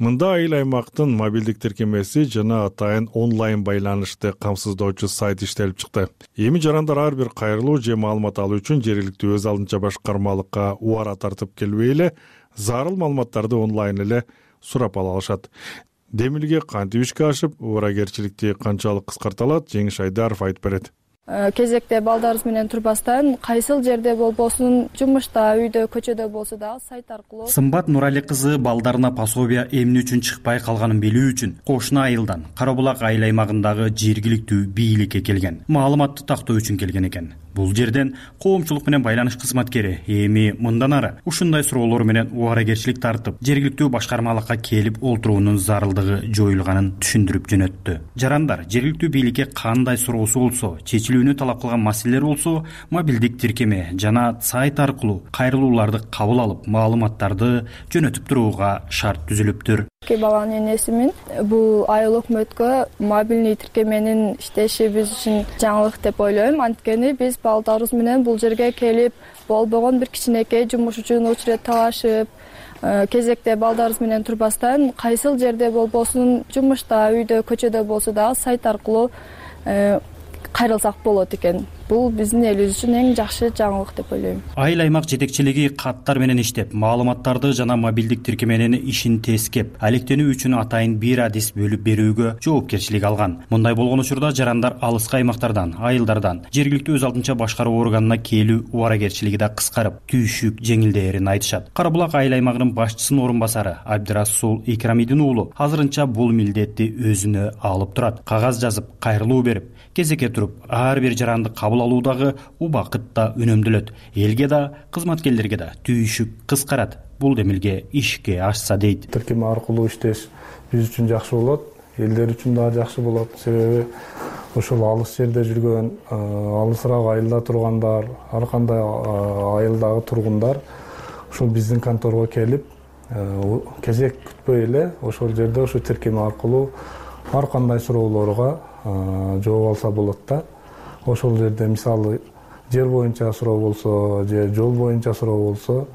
Мында айыл аймактын мобилдик тиркемеси жана атайын онлайн байланышты камсыздоочу сайт иштелип чыкты. Эми жарандар ар бир кайрылуу же маалымат алуу үчүн жергиликтүү өз алдынча башкармалыкка убара тартып келбей эле зарыл маалыматтарды онлайн эле сурап ала алышат. Демилге кантип ишке ашып, убарагерчиликти канчалык кыскарта алат? Жеңиш Айдаров айтып берет. Кезекте балдарыбыз менен турбастан, кайсыл жерде болбосун, жумушта, үйдө, көчөдө болсо да сайт аркылуу. Сымбат Нурали кызы балдарына пособия эмне үчүн чыкпай калганын билүү үчүн кошуна айылдан Карабулак айыл аймагындагы жергиликтүү бийликке келген. Маалыматты тактоо үчүн келген экен. Бул жерден коомчулук менен байланыш кызматкери эми мындан ары ушундай суроолор менен убарагерчилик тартып, жергиликтүү башкармалыкка келип олтуруунун зарылдыгы жоюлганын түшүндүрүп жөнөттү. Жарандар жергиликтүү бийликке кандай суроосу болсо, чечилүүнү талап кылган маселелер болсо, мобилдик тиркеме жана сайт аркылуу кайрылууларды кабыл алып, маалыматтарды жөнөтүп турууга шарт түзүлүптүр. Эки баланын энесимин. Бул айыл өкмөткө мобилдик тиркеменин иштеши биз үчүн жаңылык деп ойлойм. Анткени биз балдарыбыз менен бул жерге келип, болбогон бир кичинекей жумуш үчүн очередь талашып, кезекте балдарыбыз менен турбастан, кайсыл жерде болбосун, жумушта, үйдө, көчөдө болсо да сайт аркылуу кайрылсак болот экен. Бул биздин элибиз үчүн эң жакшы жаңылык деп ойлойм. Айыл аймак жетекчилиги каттар менен иштеп, маалыматтарды жана мобилдик тиркеменин ишин тескеп, алектенүү үчүн атайын бир адис бөлүп берүүгө жоопкерчилик алган. Мындай болгон учурда жарандар алыскы аймактардан, айылдардан жергиликтүү өз алдынча башкаруу органына келүү убарагерчилиги да кыскарып, түйшүк жеңилдээрин айтышат. Карабулак айыл аймагынын башчысынын орун басары Абдирасул Икрамидин уулу азырынча бул милдетти өзүнө алып турат. Кагаз жазып, кайрылуу берип, кезекке туруп, ар бир жаранды кабыл алуудагы убакыт да үнөмдөлөт. Элге да, кызматкерлерге да түйшүк кыскарат. Бул демилге ишке ашса дейт. Тиркеме аркылуу иштеш биз үчүн жакшы болот, элдер үчүн да жакшы болот. Себеби ошол алыс жерде жүргөн, алысыраак айылда тургандар, ар кандай айылдагы тургундар ушул биздин конторго келип, кезек күтпөй эле ошол жерде ошо тиркеме аркылуу ар кандай суроолорго жооп алса болот да. Ошол жерде мисалы жер боюнча суроо болсо, же жол боюнча суроо болсо,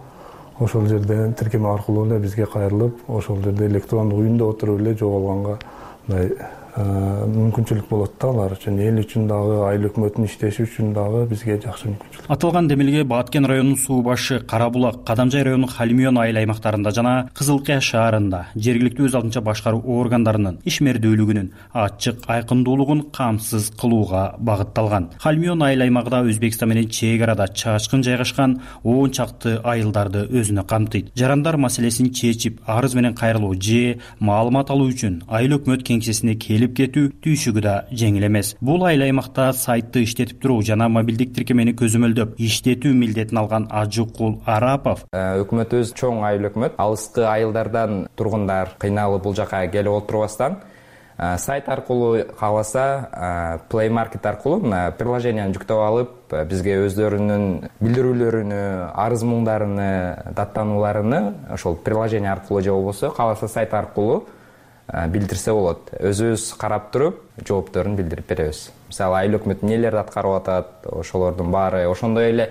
ошол жерден тиркеме аркылуу эле бизге кайрылып, ошол жерде электрондук үйүндө отуруп эле жооп алганга мындай мүмкүнчүлүк болот да алар үчүн. Эл үчүн дагы, айыл өкмөтүнүн иштеши үчүн дагы бизге жакшы мүмкүнчүлүк. Аталган демилге Баткен районунун суу башы, Карабулак, Кадамжай районунун Халимион айыл аймактарында жана Кызылкая шаарында жергиликтүү өз алдынча башкаруу органдарынын ишмердүүлүгүнүн ачык айкындуулугун камсыз кылууга багытталган. Халимион айыл аймагында Өзбекстан менен чек арада чачкын жайгашкан он чакты айылдарды өзүнө камтыйт. Жарандар маселесин чечип, арыз менен кайрылуу же маалымат алуу үчүн айыл өкмөт кеңсесине келип кетүү түйшүгү да жеңил эмес. Бул айыл аймакта сайтты иштетип туруу жана мобилдик тиркемени көзөмөлдөп иштетүү милдетин алган Ажыкул Арапов. Өкмөтүбүз чоң айыл өкмөт. Алыскы айылдардан тургундар кыйналып бул жака келип отурбастан сайт аркылуу кааласа Play Market аркылуу приложениени жүктөп алып, бизге өздөрүнүн билдирүүлөрүнү, арыз муңдарыны, даттанууларыны ошол приложение аркылуу же болбосо кааласа сайт аркылуу билдирсе болот. Өзүбүз карап туруп, жоопторун билдирип беребиз. Мисалы, айыл өкмөт эмнелерди аткарып атат, ошолордун баары. Ошондой эле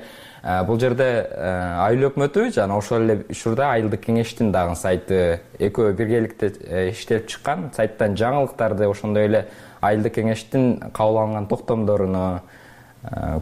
бул жерде айыл өкмөтү жана ошол эле учурда айылдык кеңештин дагы сайты экөө биргеликте иштелип чыккан. Сайттан жаңылыктарды, ошондой эле айылдык кеңештин кабыл алынган токтомдоруну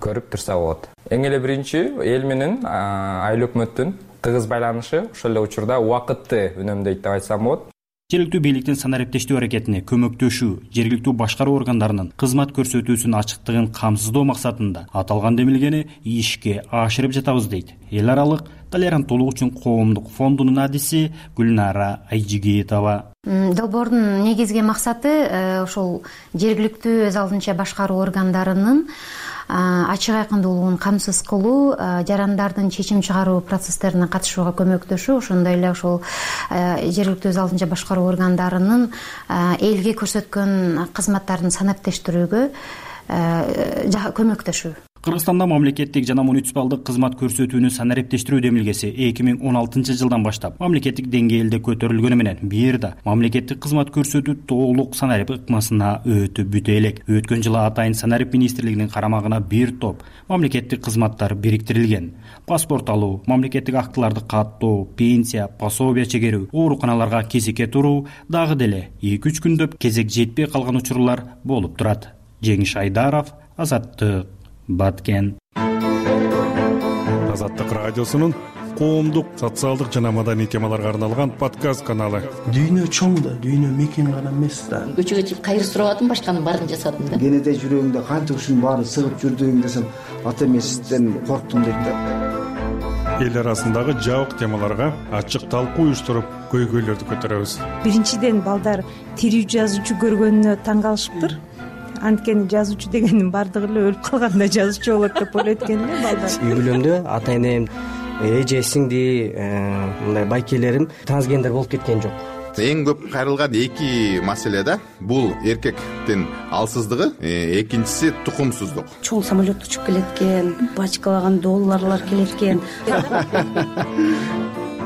көрүп турса болот. Эң эле биринчи эл менен айыл өкмөттүн тыгыз байланышы ошол эле учурда убакытты үнөмдөйт деп айтсам болот. Жергиликтүү бийликтин санариптештүү аракетине көмөктөшүү, жергиликтүү башкаруу органдарынын кызмат көрсөтүүсүнүн ачыктыгын камсыздоо максатында аталган демилгени ишке ашырып жатабыз дейт эл аралык толеранттуулук үчүн коомдук фондунун адиси Гүлнара Айжигитова. Долбоордун негизги максаты ошол жергиликтүү өз алдынча башкаруу органдарынын ачык айкындуулугун камсыз кылуу, жарандардын чечим чыгаруу процесстерине катышууга көмөктөшүү, ошондой эле ошол жергиликтүү өз алдынча башкаруу органдарынын элге көрсөткөн кызматтарын санаптештирүүгө көмөктөшүү. Кыргызстанда мамлекеттик жана муниципалдык кызмат көрсөтүүнү санариптештирүү демилгеси эки миң он алтынчы жылдан баштап мамлекеттик деңгээлде көтөрүлгөнү менен бир да мамлекеттик кызмат көрсөтүү толук санарип ыкмасына өтүп бүтө элек. Өткөн жылы атайын санарип министрлигинин карамагына бир топ мамлекеттик кызматтар бириктирилген. Паспорт алуу, мамлекеттик актыларды каттоо, пенсия, пособия чегерүү, ооруканаларга кезекке туруу дагы деле эки үч күндөп кезек жетпей калган учурлар болуп турат. Жеңиш Айдаров, Азаттык, Баткен. Азаттык радиосунун коомдук, социалдык жана маданий темаларга арналган подкаст каналы. Дүйнө чоң да, дүйнө мекен гана эмес да. Көчөгө чыгып кайыр сурабадым, башканын баарын жасадым да. Кенеде жүрөгүңдө канча ушунун баарын сыгып жүрдүң десем, ата эмесизден корктум дейт да. Эл арасындагы жабык темаларга ачык талкуу уюштуруп, көйгөйлөрдү көтөрөбүз. Биринчиден балдар тирүү жазуучу көргөнүнө таң калышыптыр. Анткени жазуучу дегендин баардыгы эле өлүп калганда жазуучу болот деп ойлойт экен эле балдар. Үй бүлөмдө ата энем, эже, сиңди, мындай байкелерим трансгендер болуп кеткен жок. Эң көп кайрылган эки маселе да. Бул эркектин алсыздыгы, экинчиси тукумсуздук. Чоң самолет учуп келет экен, бачкалаган долларлар келет экен.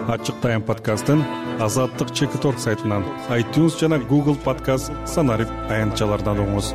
Ачык тайм подкастын Азаттык чекит точка орг сайтынан, iTunes жана Google подкаст санарип аянтчаларынан угуңуз.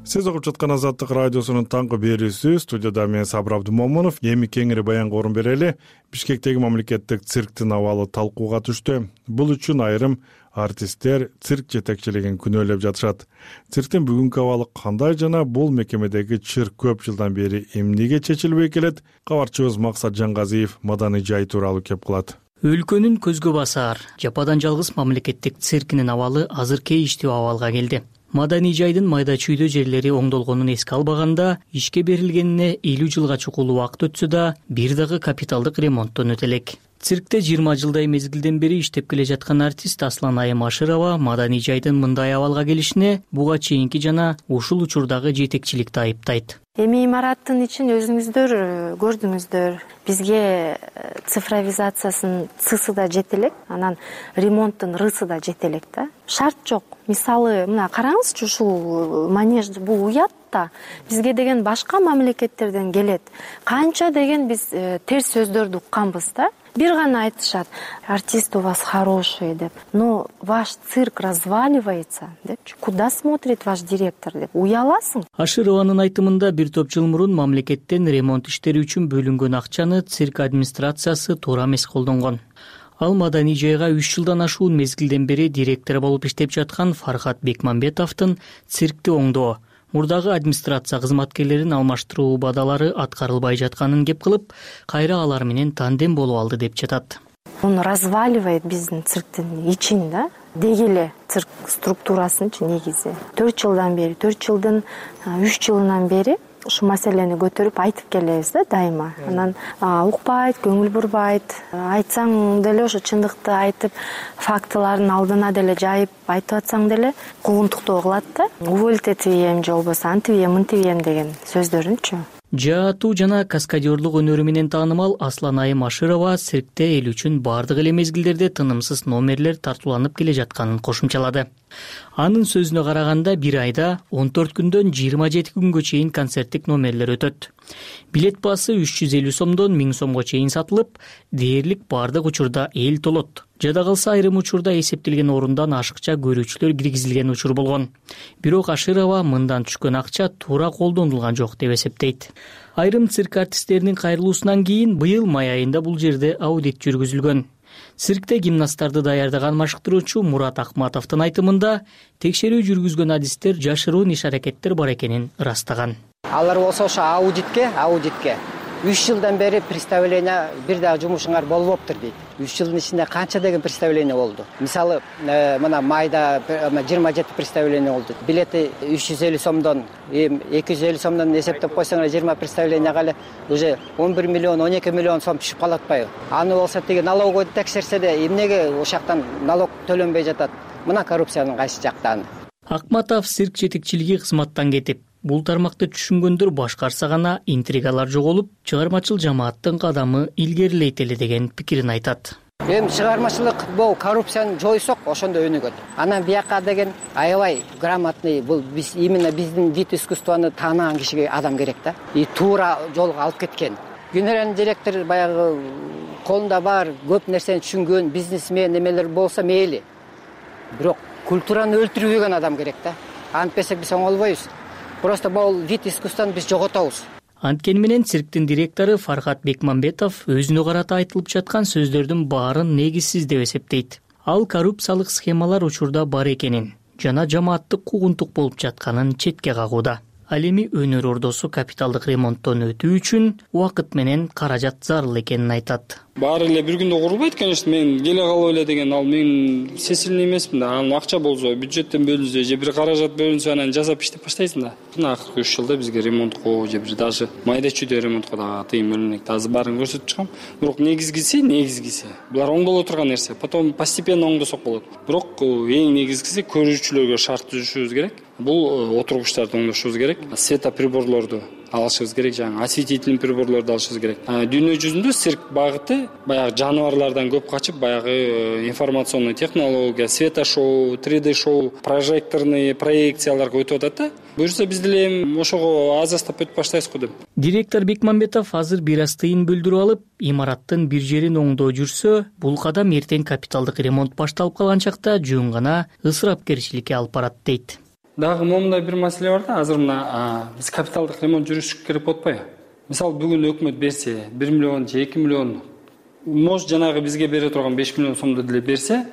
Сиз угуп жаткан Азаттык радиосунун таңкы берүүсү. Студияда мен Сабыр Абдумомунов. Эми кеңири баянга орун берели. Бишкектеги мамлекеттик цирктин абалы талкууга түштү. Бул үчүн айрым артисттер цирк жетекчилигин күнөөлөп жатышат. Цирктин бүгүнкү абалы кандай жана бул мекемедеги чыр көп жылдан бери эмнеге чечилбей келет? Кабарчыбыз Максат Жангазиев маданий жай тууралуу кеп кылат. Өлкөнүн көзгө басар жападан жалгыз мамлекеттик циркинин абалы азыр кейиштүү абалга келди. Маданий жайдын майда чүйдө жерлери оңдолгонун эске албаганда, ишке берилгенине элүү жылга чукул убакыт өтсө да, бир дагы капиталдык ремонттон өтө элек. Циркте жыйырма жылдай мезгилден бери иштеп келе жаткан артист Аслан Айым Ашырова маданий жайдын мындай абалга келишине буга чейинки жана ушул учурдагы жетекчиликти айыптайт. Эми имараттын ичин өзүңүздөр көрдүңүздөр. Бизге цифровизациясынын цысы да жете элек, анан ремонттун рысы да жете элек да. Шарт жок. Мисалы, мына караңызчы, ушул манеж бул уят да. Бизге деген башка мамлекеттерден келет. Канча деген биз терс сөздөрдү укканбыз да. Бир гана айтышат: артист у вас хороший деп. Но ваш цирк разваливается депчи. Куда смотрит ваш директор деп. Уяласың. Ашырованын айтымында бир топ жыл мурун мамлекеттен ремонт иштери үчүн бөлүнгөн акчаны цирк администрациясы туура эмес колдонгон. Ал маданий жайга үч жылдан ашуун мезгилден бери директор болуп иштеп жаткан Фархат Бекмамбетовдун циркти оңдоо, мурдагы администрация кызматкерлерин алмаштыруу убадалары аткарылбай жатканын кеп кылып, кайра алар менен тандем болуп алды деп жатат. Он разваливает биздин цирктин ичин да. Деги эле цирк структурасынчы негизи. төрт жылдан бери, төрт жылдын үч жылынан бери ушул маселени көтөрүп айтып келебиз да дайыма. Анан укпайт, көңүл бурбайт. Айтсаң деле ошо чындыкты айтып, фактылардын алдына деле жайып айтып атсаң деле куугунтуктоо кылат да. Уволить этибем же болбосо антибем, мынтибем деген сөздөрүнчү. Жаатуу жана каскадерлук өнөрү менен таанымал Аслан Айым Ашырова циркте эл үчүн бардык эле мезгилдерде тынымсыз номерлер тартууланып келе жатканын кошумчалады. Анын сөзүнө караганда бир айда он төрт күндөн жыйырма жети күнгө чейин концерттик номерлер өтөт. Билет баасы үч жүз элүү сомдон миң сомго чейин сатылып, дээрлик бардык учурда эл толот. Жада калса айрым учурда эсептелген орундан ашыкча көрүүчүлөр киргизилген учур болгон. Бирок Ашырова мындан түшкөн акча туура колдонулган жок деп эсептейт. Айрым цирк артисттеринин кайрылуусунан кийин быйыл май айында бул жерде аудит жүргүзүлгөн. Циркте гимнасттарды даярдаган машыктыруучу Мурат Акматовдун айтымында текшерүү жүргүзгөн адистер жашыруун иш-аракеттер бар экенин ырастаган. Алар болсо ошо аудитке, аудитке үч жылдан бери представление бир дагы жумушуңар болбоптур дейт. Үч жылдын ичинде канча деген представление болду. Мисалы мына майда жыйырма жети представление болду. Билети үч жүз элүү сомдон эки жүз элүү сомдон эсептеп койсоңор жыйырма представление кале уже он бир миллион он эки миллион сом түшүп калат атпайбы? Аны болсо тиги налоговый текшерсе эмнеге ошоктон налог төлөнбөй жатат? Мына коррупциянын кайсы жактаны. Акматов цирк жетекчилиги кызматтан кетип, бул тармакты түшүнгөндөр башкарса гана интригалар жоголуп, чыгармачыл жамааттын кадамы илгерилейт эле деген пикирин айтат. Эми чыгармачылык бул коррупцияны жойсок, ошондо өнүгөт. Анан бияка деген аябай грамотный, бул биз именно биздин вид искусствону таанаган кишиге адам керек да. И туура жолго алып кеткен. Генеральный директор баягы колунда бар көп нерсени түшүнгөн бизнесмен эмелер болсо мейли. Бирок культураны өлтүрбөгөн адам керек да. Антпесек биз оңолбойбуз. Просто бул вид искусствону биз жоготобуз. Анткени менен цирктин директору Фархат Бекмамбетов өзүнө карата айтылып жаткан сөздөрдүн баарын негизсиз деп эсептейт. Ал коррупциялык схемалар учурда бар экенин жана жамааттык куугунтук болуп жатканын четке кагууда. Ал эми өнөр ордосу капиталдык ремонттон өтүү үчүн убакыт менен каражат зарыл экенин айтат. Баары эле бир күндө курулбайт, конечно, мен келе калып эле деген ал мен сесилный эмесмин да. Анын акча болсо, бюджеттен бөлүнсө же бир каражат бөлүнсө анан жасап иштеп баштайсың да. Мына акыркы үч жылда бизге ремонтко же бир даже майда чүйдө ремонтко дагы тыйым бөлүнөт. Азыр баарын көрсөтүп чыгам. Бирок негизгиси, негизгиси булар оңдоло турган нерсе. Потом постепенно оңдосок болот. Бирок эң негизгиси көрүүчүлөргө шарт түзүшүбүз керек. Бул отургучтарды оңдошубуз керек. Светоприборлорду алышыбыз керек, жаңы осветительный приборлорду алышыбыз керек. Дүйнө жүзүндө цирк багыты баягы жаныбарлардан көп качып, баягы информационный технология, светошоу, три дэ шоу, прожекторный проекцияларга өтүп атат да. Буюрса биз деле ошого аз астап өтүп баштайбыз го деп. Директор Бекмамбетов азыр бир аз тыйын билдирип алып, имараттын бир жерин оңдоо жүрсө, бул кадам эртең капиталдык ремонт башталып калган чакта жөн гана ысырапкерчиликке алып барат дейт. Дагы момундай бир маселе бар да, азыр мына биз капиталдык ремонт жүргүзүш керек болуп атпайбы? Мисалы бүгүн өкмөт берсе, бир миллион же эки миллион, может жанагы бизге бере турган беш миллион сомду деле берсе,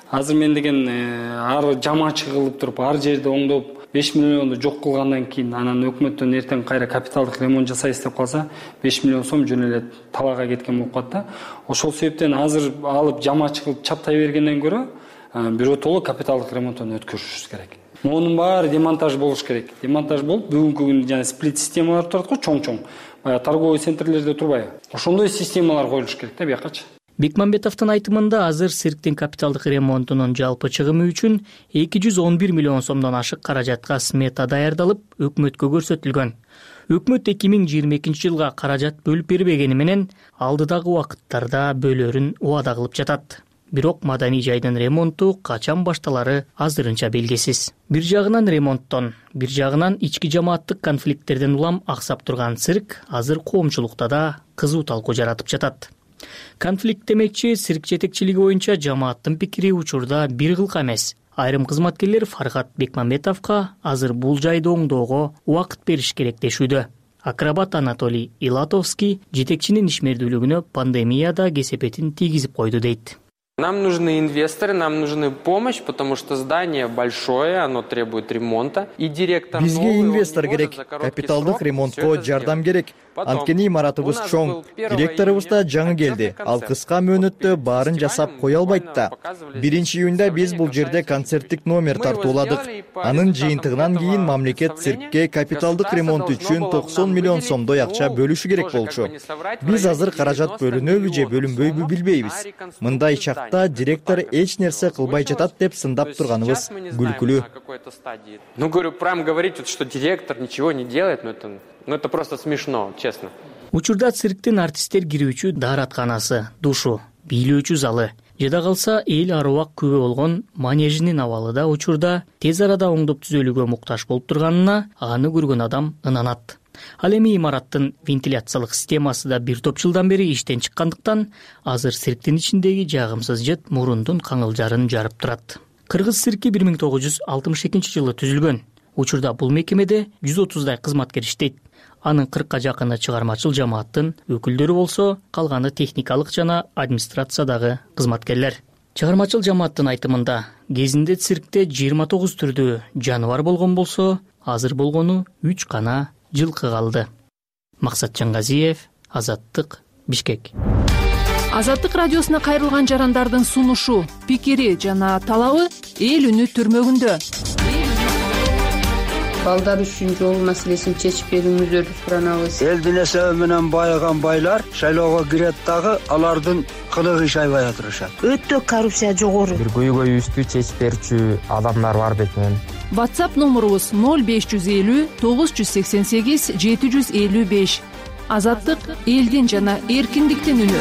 азыр мен деген ар жамаачы кылып туруп, ар жерди оңдоп, беш миллионду жок кылгандан кийин анан өкмөттөн эртең кайра капиталдык ремонт жасайбыз деп калса, беш миллион сом жөн эле талаага кеткен болуп калат да. Ошол себептен азыр алып жамаачы кылып чаптай бергенден көрө, биротоло капиталдык ремонттон өткөрүшүбүз керек. Монун баары демонтаж болуш керек. Демонтаж болуп, бүгүнкү күндө жана сплит системалар турат го, чоң-чоң. Баягы торговый центрлерде турбайбы? Ошондой системалар коюлуш керек да биякачы. Бекмамбетовдун айтымында азыр цирктин капиталдык ремонтунун жалпы чыгымы үчүн эки жүз он бир миллион сомдон ашык каражатка смета даярдалып, өкмөткө көрсөтүлгөн. Өкмөт эки миң жыйырма экинчи жылга каражат бөлүп бербегени менен алдыдагы убакыттарда бөлөрүн убада кылып жатат. Бирок маданий жайдын ремонту качан башталары азырынча белгисиз. Бир жагынан ремонттон, бир жагынан ички жамааттык конфликттерден улам аксап турган цирк азыр коомчулукта да кызуу талкуу жаратып жатат. Конфликт демекчи, цирк жетекчилиги боюнча жамааттын пикири учурда бир кылка эмес. Айрым кызматкерлер Фархат Бекмамбетовго азыр бул жайды оңдоого убакыт бериш керек дешүүдө. Акробат Анатолий Илатовский жетекчинин ишмердүүлүгүнө пандемияда кесепетин тийгизип койду дейт. Нам нужны инвесторы, нам нужны помощь, потому что здание большое, оно требует ремонта. И директор Бизге инвестор керек, капиталдык ремонтко жардам керек. Анткени имаратыбыз чоң, директорубуз да жаңы келди. Ал кыска мөөнөттө баарын жасап кое албайт да. биринчи июнда биз бул жерде концерттик номер тартууладык. Анын жыйынтыгынан кийин мамлекет циркке капиталдык ремонт үчүн токсон миллион сомдой акча бөлүшү керек болчу. Биз азыр каражат бөлүнөбү же бөлүнбөйбү билбейбиз. Мындай чакта директор эч нерсе кылбай жатат деп сындап турганыбыз күлкүлүү. Ну, говорю, прям говорить, что директор ничего не делает, но это Ну это просто смешно, честно. Учурда цирктин артисттер кирүүчү дааратканасы, душу, бийлөөчү залы, жада калса эл аруак күбө болгон манежинин абалы да учурда тез арада оңдоп түзөлүүгө муктаж болуп турганына аны көргөн адам ынанат. Ал эми имараттын вентиляциялык системасы да бир топ жылдан бери иштен чыккандыктан азыр цирктин ичиндеги жагымсыз жыт мурундун каңылжарын жарып турат. Кыргыз цирки бир миң тогуз жүз алтымыш экинчи жылы түзүлгөн. Учурда бул мекемеде жүз отуздай кызматкер иштейт. Анын кыркка жакыны чыгармачыл жамааттын өкүлдөрү болсо, калганы техникалык жана администрациядагы кызматкерлер. Чыгармачыл жамааттын айтымында, кезинде циркте жыйырма тогуз түрдүү жаныбар болгон болсо, азыр болгону үч гана жылкы калды. Максат Жангазиев, Азаттык, Бишкек. Азаттык радиосуна кайрылган жарандардын сунушу, пикири жана талабы эл үнү түрмөгүндө. Балдар үчүн жол маселесин чечип берүүңүздөрдү суранабыз. Элдин эсеби менен байыган байлар шайлоого кирет дагы алардын кылыгы иш айбай отурушат. Өтө коррупция жогору. Бир көйгөйүбүздү чечип берүүчү адамдар бар бекен. WhatsApp номурубуз ноль беш жүз элүү тогуз жүз сексен сегиз жети жүз элүү беш. Азаттык элдин жана эркиндиктин үнү.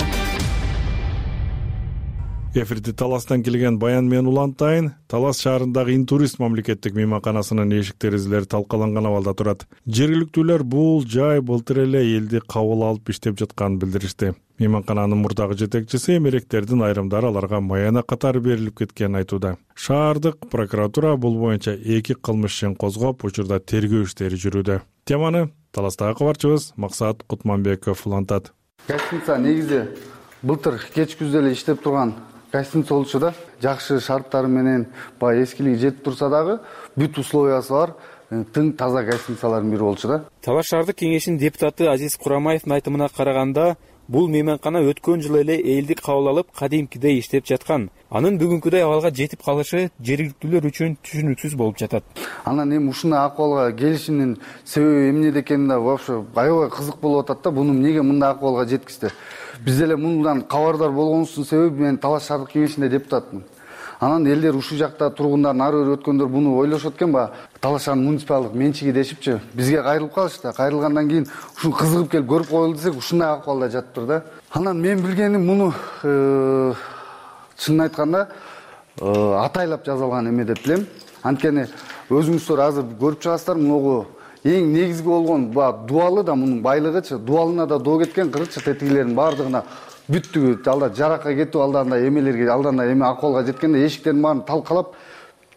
Эфирде Таластан келген Баян менен Улантайын. Талас шаарындагы Интурист мамлекеттик мейманканасынын эшик терезелери талкаланган абалда турат. Жергиликтүүлөр бул жай былтыр эле элди кабыл алып иштеп жатканын билдиришти. Мейманкананын мурдагы жетекчиси эмеректердин айрымдары аларга маяна катары берилип кеткенин айтууда. Шаардык прокуратура бул боюнча эки кылмыш ишин козгоп, учурда тергөө иштери жүрүүдө. Теманы Таластагы кабарчыбыз Максат Кутманбеков улантат. Гостиница негизи былтыр кеч күздө эле иштеп турган гостиница болчу да. Жакшы шарттары менен баягы эскилиги жетип турса дагы бүт условиясы бар тың таза гостиницалардын бири болчу да. Талаш шаардык кеңешинин депутаты Азиз Курамаевдин айтымына караганда, бул мейманкана өткөн жылы эле элди кабыл алып, кадимкидей иштеп жаткан. Анын бүгүнкүдөй абалга жетип калышы жергиликтүүлөр үчүн түшүнүксүз болуп жатат. Анан эми ушундай акыбалга келишимдин себеби эмнеде экени да вообще аябай кызык болуп атат да. Буну эмнеге мындай акыбалга жеткизди? Биз эле мындан кабардар болгонубуздун себеби мен Талаш шаардык кеңешинде депутатмын. Анан элдер ушул жакта тургундар, нары бери өткөндөр буну ойлошот экен, ба Талаш шаарынын муниципалдык менчиги дешипчи, бизге кайрылып калышты. Кайрылгандан кийин ушун кызыгып келип көрүп коелу десек, ушундай акыбалда жатыптыр да. Анан мен билгеним муну чынын айтканда атайлап жазылган эме деп билем. Анткени өзүңүздөр азыр көрүп чыгасыздар, муну эң негизги болгон дуалы да мунун байлыгычы, дуалына да доо кеткен, кырычы тетигилердин баардыгына бүттүгү алда жаракка кетип, алданда эмелерге, алданда эме акыбалга жеткенде эшиктердин баарын талкалап,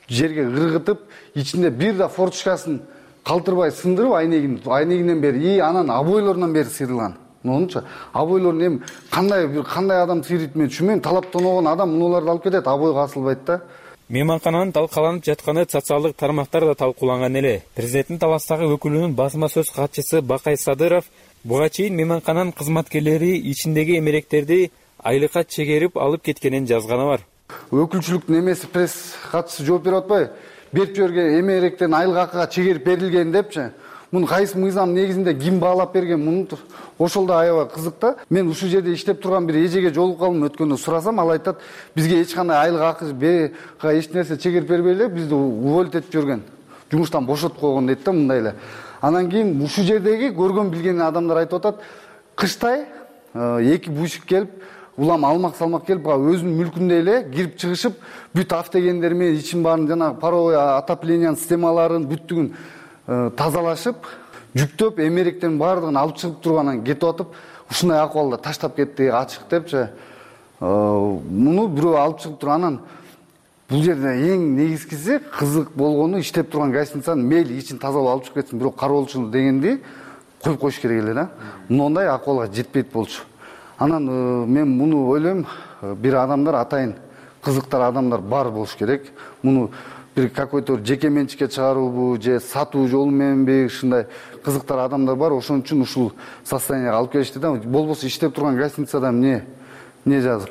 жерге ыргытып, ичинде бир да форточкасын калтырбай сындырып, айнегин, айнегинен бери, и анан обойлорунан бери сыйрылган. Мынунча обойлорун эми кандай бир кандай адам сыйрыйт мен түшүнбөйм. Талаптаногон адам мунуларды алып кетет, обойго асылбайт да. Мейманкананын талкаланып жатканы социалдык тармактар да талкууланган эле. Президенттин Таластагы өкүлүнүн басма сөз катчысы Бакай Садыров буга чейин мейманкананын кызматкерлери ичиндеги эмеректерди айлыкка чегерип алып кеткенин жазганы бар. Өкүлчүлүктүн эмеси пресс катчысы жооп берип атпайбы? Берип жиберген эмеректердин айлык акыга чегерип берилген депчи. Муну кайсы мыйзам негизинде ким баалап берген? Муну ошол да аябай кызык да. Мен ушул жерде иштеп турган бир эжеге жолугуп калдым, өткөндө сурасам, ал айтат, бизге эч кандай айлык акы, бека эч нерсе чегерип бербей эле бизди уволить этип жүргөн. Жумуштан бошотуп койгон дейт да, мындай эле. Анан кийин ушул жердеги көргөн билген адамдар айтып атат, кыштай эки бушик келип, улам алмак-салмак келип, өзүнүн мүлкүндө эле кирип чыгышып, бүт автогендер менен ичин баарын жана паровой отоплениянын системаларын бүттүгүн тазалашып, жүктөп, эмеректердин баардыгын алып чыгып тургандан кетип атып, ушундай акыбалда таштап кетти, ачык депчи. Муну бирөө алып чыгып турганан бул жерде эң негизгиси кызык болгону иштеп турган гостиницанын мейли ичин тазалап алып чыгып кетсин, бирок кароолчу дегенди коюп коюш керек эле да. Мындай акыбалга жетпейт болчу. Анан мен муну ойлойм, бир адамдар атайын кызыктар адамдар бар болуш керек. Муну бир какой-то жеке менчикке чыгаруубу же сатуу жолу мененби, ушундай кызыктар адамдар бар. Ошон үчүн ушул состоянияга алып келишти да. Болбосо иштеп турган гостиницада эмне эмне жазык.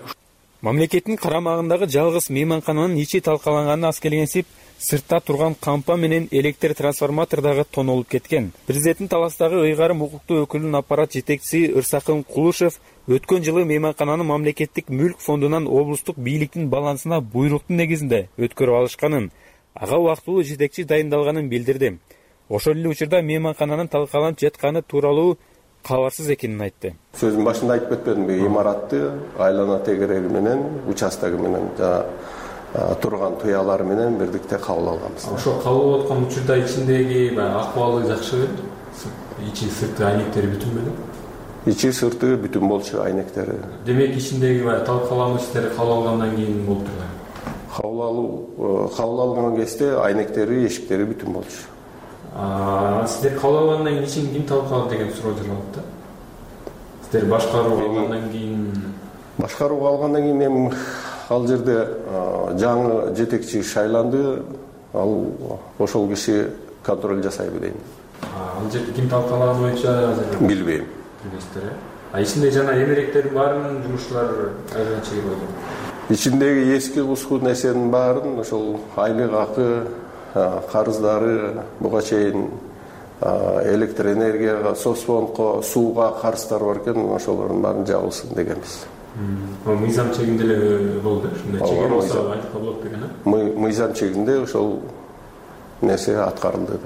Мамлекеттин карамагындагы жалгыз мейманкананын ичи талкаланганын аз келгенсип, сыртта турган кампа менен электр трансформатор дагы тонолуп кеткен. Президенттин Таластагы ыйгарым укуктуу өкүлүнүн аппарат жетекчиси Ырсакын Кулушев өткөн жылы мейманкананын мамлекеттик мүлк фондунан облустук бийликтин балансына буйруктун негизинде өткөрүп алышканын, ага убактылуу жетекчи дайындалганын билдирди. Ошол эле учурда мейманкананын талкаланып жатканы тууралуу кабарсыз экенин айтты. Сөзүн башында айтып кетпедимби, имаратты айлана тегереги менен, участогу менен жана турган туялары менен бирдикте кабыл алганбыз. Ошо кабыл алып аткан учурда ичиндеги акыбалы жакшы, ичи сырты айнектери бүтүн беле? Ичи сырты бүтүн болчу, айнектери. Демек ичиндеги талкалануу иштери кабыл алгандан кийин болуп турган. Кабыл алуу, кабыл алган кезде айнектери, эшиктери бүтүн болчу. Сиздер кабыл алгандан кийин ичин ким талкалады деген суроо жаралат да. Сиздер башкарууга алгандан кийин башкарууга алгандан кийин эми ал жерде жаңы жетекчи шайланды, ал ошол киши контроль жасайбы дейм. Ал жерде ким талкалаганы боюнча билбейм. Билесиздер, ичинде жана эмеректердин баарынын жумушчулары айылга чейин болду. Ичиндеги эски куску нерсенин баарын ошол айлык акы, карыздары, буга чейин электр энергияга, соцфондко, сууга карыздар бар экен, ошолордун баарын жабылсын дегенбиз. Мыйзам чегинде эле болду, ушундай чегер болсо айтылса болот деген а? Мыйзам чегинде ошол нерсе аткарылды.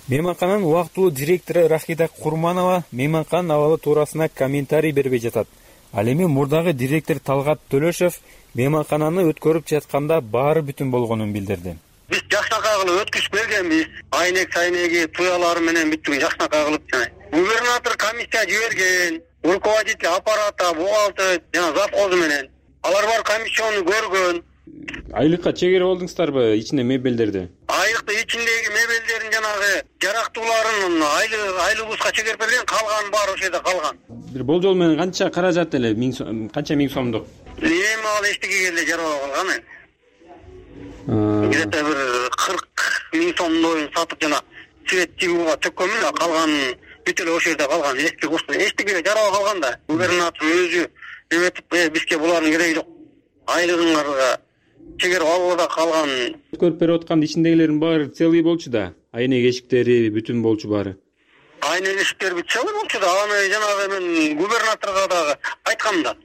Мейманкананын убактылуу директору Рахида Курманова мейманканын абалы туурасында комментарий бербей жатат. Ал эми мурдагы директор Талгат Төлөшев мейманкананы өткөрүп жатканда баары бүтүн болгонун билдирди. Биз жакшынакай кылып өткүзүп бергенбиз. Айнек сайнеги туялары менен бүттүн жакшынакай кылып жана. Губернатор комиссия жиберген, руководитель аппарата, бухгалтер жана завхозу менен. Алар бар комиссияны көргөн. Айлыкка чегер болдуңуздарбы ичинде мебелдерди? Айлыкты ичиндеги мебелдердин жанагы жарактууларын айлы айлыбызга чегер берген, калган бар ошол жерде калган. Бир болжол менен канча каражат эле, канча миң сомдук? Эми ал эчтеге эле жаралып калган. Где-то бир кырк миң сомдой сатып жана свет тигүүгө төккөнмүн, калган бүт эле ошол жерде калган. Эски курс эчтеге жаралып калган да. Губернатор өзү эметип, бизге булардын кереги жок. Айлыгыңарга чегер албада калган. Көрүп берип аткан ичиндегилердин баары целый болчу да. Айнек эшиктери бүтүн болчу баары. Айнек эшиктери бүт целый болчу да. Аны жанагы мен губернаторго дагы айткам да.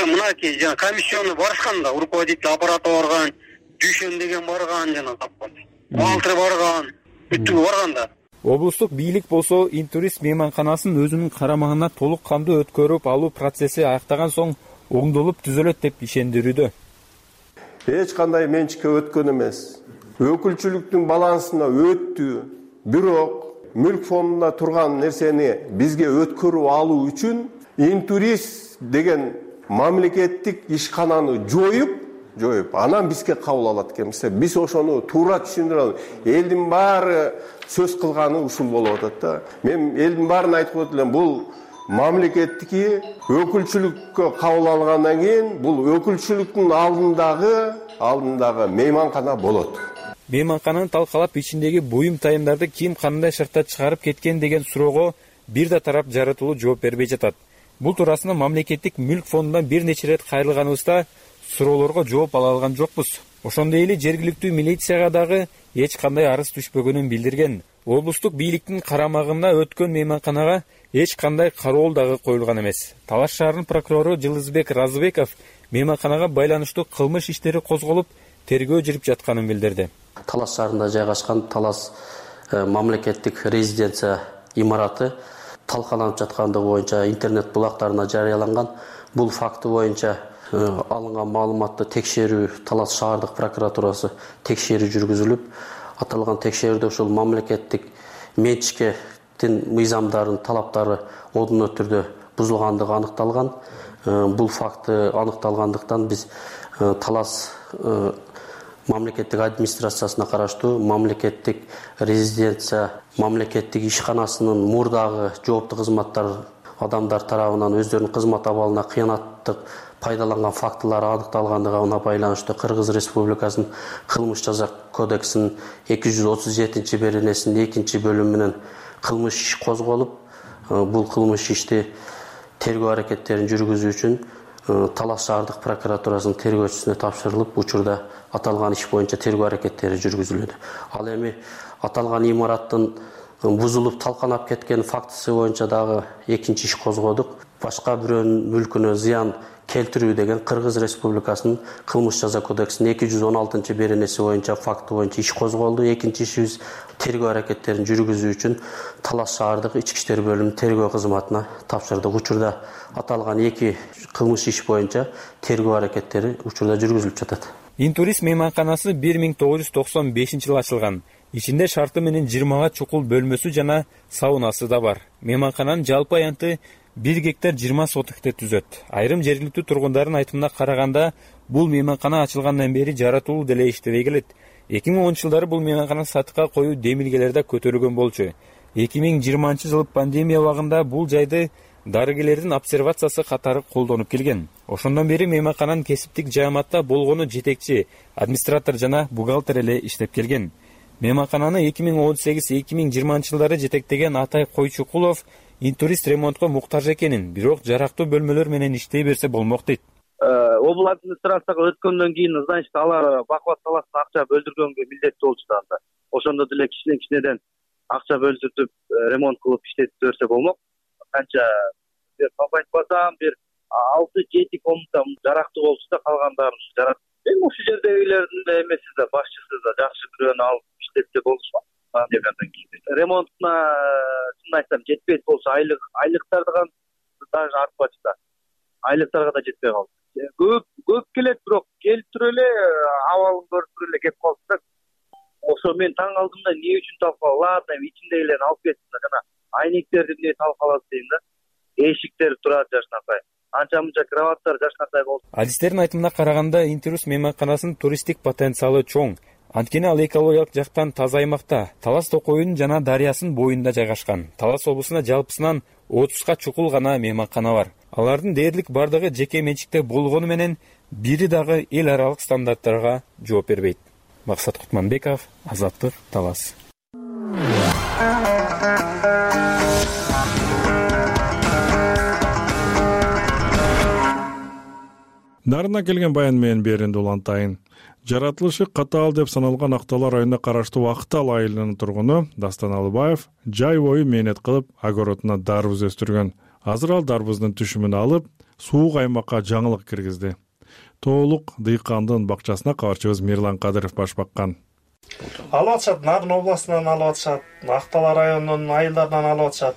Мынакей жана комиссияны барышкан да, руководитель аппарата барган, Дүйшөн деген барган жана тапкан. Бухгалтер барган, бүттүгү барган да. Облустук бийлик болсо Интурист мейманканасын өзүнүн карамагына толук кандуу өткөрүп алуу процесси аяктаган соң оңдолуп түзөлөт деп ишендирүүдө. Эч кандай менчикке өткөн эмес. Өкүлчүлүктүн балансына өттү. Бирок мүлк фондунда турган нерсени бизге өткөрүп алуу үчүн Интурист деген мамлекеттик ишкананы жоюп, жоюп, анан бизге кабыл алат экенбиз. Биз ошону туура түшүндүрө алабыз. Элдин баары сөз кылганы ушул болуп атат да. Мен элдин баарын айтып коет элем, бул мамлекеттики өкүлчүлүккө кабыл алгандан кийин бул өкүлчүлүктүн алдындагы алдындагы мейманкана болот. Мейманкананы талкалап ичиндеги буюм тайымдарды ким кандай шартта чыгарып кеткен деген суроого бир да тарап жаратылуу жооп бербей жатат. Бул туурасында мамлекеттик мүлк фондунан бир нече ирет кайрылганыбызда суроолорго жооп ала алган жокпуз. Ошондой эле жергиликтүү милицияга дагы эч кандай арыз түшпөгөнүн билдирген. Облустук бийликтин карамагына өткөн мейманканага эч кандай кароол дагы коюлган эмес. Талаш шаарынын прокурору Жылызбек Разыбеков мейманканага байланыштуу кылмыш иштери козголуп, тергөө жүрүп жатканын билдирди. Талас шаарында жайгашкан Талас мамлекеттик резиденция имараты талкаланып жаткандыгы боюнча интернет булактарына жарыяланган. Бул факты боюнча алынган маалыматты текшерүү Талас шаардык прокуратурасы текшерүү жүргүзүлүп, аталган текшерүүдө ушул мамлекеттик менчиктин мыйзамдарын талаптары одуно түрдө бузулгандыгы аныкталган. Бул факты аныкталгандыктан биз Талас мамлекеттик администрациясына караштуу мамлекеттик резиденция мамлекеттик ишканасынын мурдагы жооптуу кызматтар адамдар тарабынан өздөрүнүн кызмат абалына кыянаттык пайдаланган фактылары аныкталгандыгына байланыштуу Кыргыз Республикасынын кылмыш жаза кодексинин эки жүз отуз жетинчи беренесинин экинчи бөлүмүнөн кылмыш иш козголуп, бул кылмыш ишти тергөө аракеттерин жүргүзүү үчүн Талас шаардык прокуратурасынын тергөөчүсүнө тапшырылып, учурда аталган иш боюнча тергөө аракеттери жүргүзүлөт. Ал эми аталган имараттын бузулуп талканап кеткен фактысы боюнча дагы экинчи иш козгодук. Башка бирөөнүн мүлкүнө зыян келтирүү деген Кыргыз Республикасынын кылмыш жаза кодексинин эки жүз он алтынчы беренеси боюнча факты боюнча иш козголду. Экинчи ишибиз тергөө аракеттерин жүргүзүү үчүн Талас шаардык ички иштер бөлүмүнүн тергөө кызматына тапшырдык. Учурда аталган эки кылмыш иш боюнча тергөө аракеттери учурда жүргүзүлүп жатат. Интурист мейманканасы бир миң тогуз жүз токсон бешинчи жылы ачылган. Ичинде шарты менен жыйырмага чукул бөлмөсү жана саунасы да бар. Мейманкананын жалпы аянты бир гектар жыйырма сотыкты түзөт. Айрым жергиликтүү тургундардын айтымына караганда, бул мейманкана ачылгандан бери жаратылуу деле иштебей келет. эки миң онунчу жылдары бул мейманкана сатыкка коюу демилгелери да көтөрүлгөн болчу. эки миң жыйырманчы жылы пандемия убагында бул жайды дарыгерлердин обсервациясы катары колдонуп келген. Ошондон бери мейманкананын кесиптик жааматта болгону жетекчи, администратор жана бухгалтер эле иштеп келген. Мейманкананы эки миң он сегиз эки миң жыйырманчы жылдары жетектеген Атай Койчукулов Интурист ремонтко муктаж экенин, бирок жарактуу бөлмөлөр менен иштей берсе болмок дейт. Обл администрацияга өткөндөн кийин, значит, алар бакубат саласына акча бөлдүргөнгө милдеттүү болчу да анда. Ошондо деле кичинен кичинеден акча бөлдүрүп ремонт кылып иштетип берсе болмок. Канча бир топ айтпасам, бир алты жети комната жарактуу болчу да, калгандарын жарат. Эми ушул жердегилердин да эмеси да, башчысы да жакшы бирөөнү алып иштетсе болушмак. Ремонтуна чын айтсам жетпейт болсо, айлык айлыктардан даже артпачы да. Айлыктарга да жетпей калды. Көп көп келет, бирок келип туруп эле абалын көрүп туруп эле кеп калды да. Ошо мен таң калдым да, эмне үчүн талкалап, ладно, ичиндегилерин алып кетсин, жана айнектерди эмне талкалады дейм да. Эшиктер турат жашнакай. Анча мынча кроваттар жашнакай болду. Адистердин айтымына караганда, Интирус мейманканасынын туристтик потенциалы чоң. Анткени ал экологиялык жактан таза аймакта, Талас Токойунун жана дарыясынын боюнда жайгашкан. Талас облусунда жалпысынан отузга чукул гана мейманкана бар. Алардын дээрлик бардыгы жеке менчикте болгону менен бири дагы эл аралык стандарттарга жооп бербейт. Максат Кутманбеков, Азаттык, Талас. Нарына келген баян менен беринди улантайын. Жаратылышы катаал деп саналган Актала районуна караштуу Актал айылынын тургуну Дастан Алыбаев жай бою мээнет кылып огородуна дарбыз өстүргөн. Азыр ал дарбыздын түшүмүн алып, суук аймакка жаңылык киргизди. Тоолук дыйкандын бакчасына кабарчыбыз Мирлан Кадыров баш баккан. Алып атышат, Нарын областынан алып атышат, Актала районунун айылдарынан алып атышат.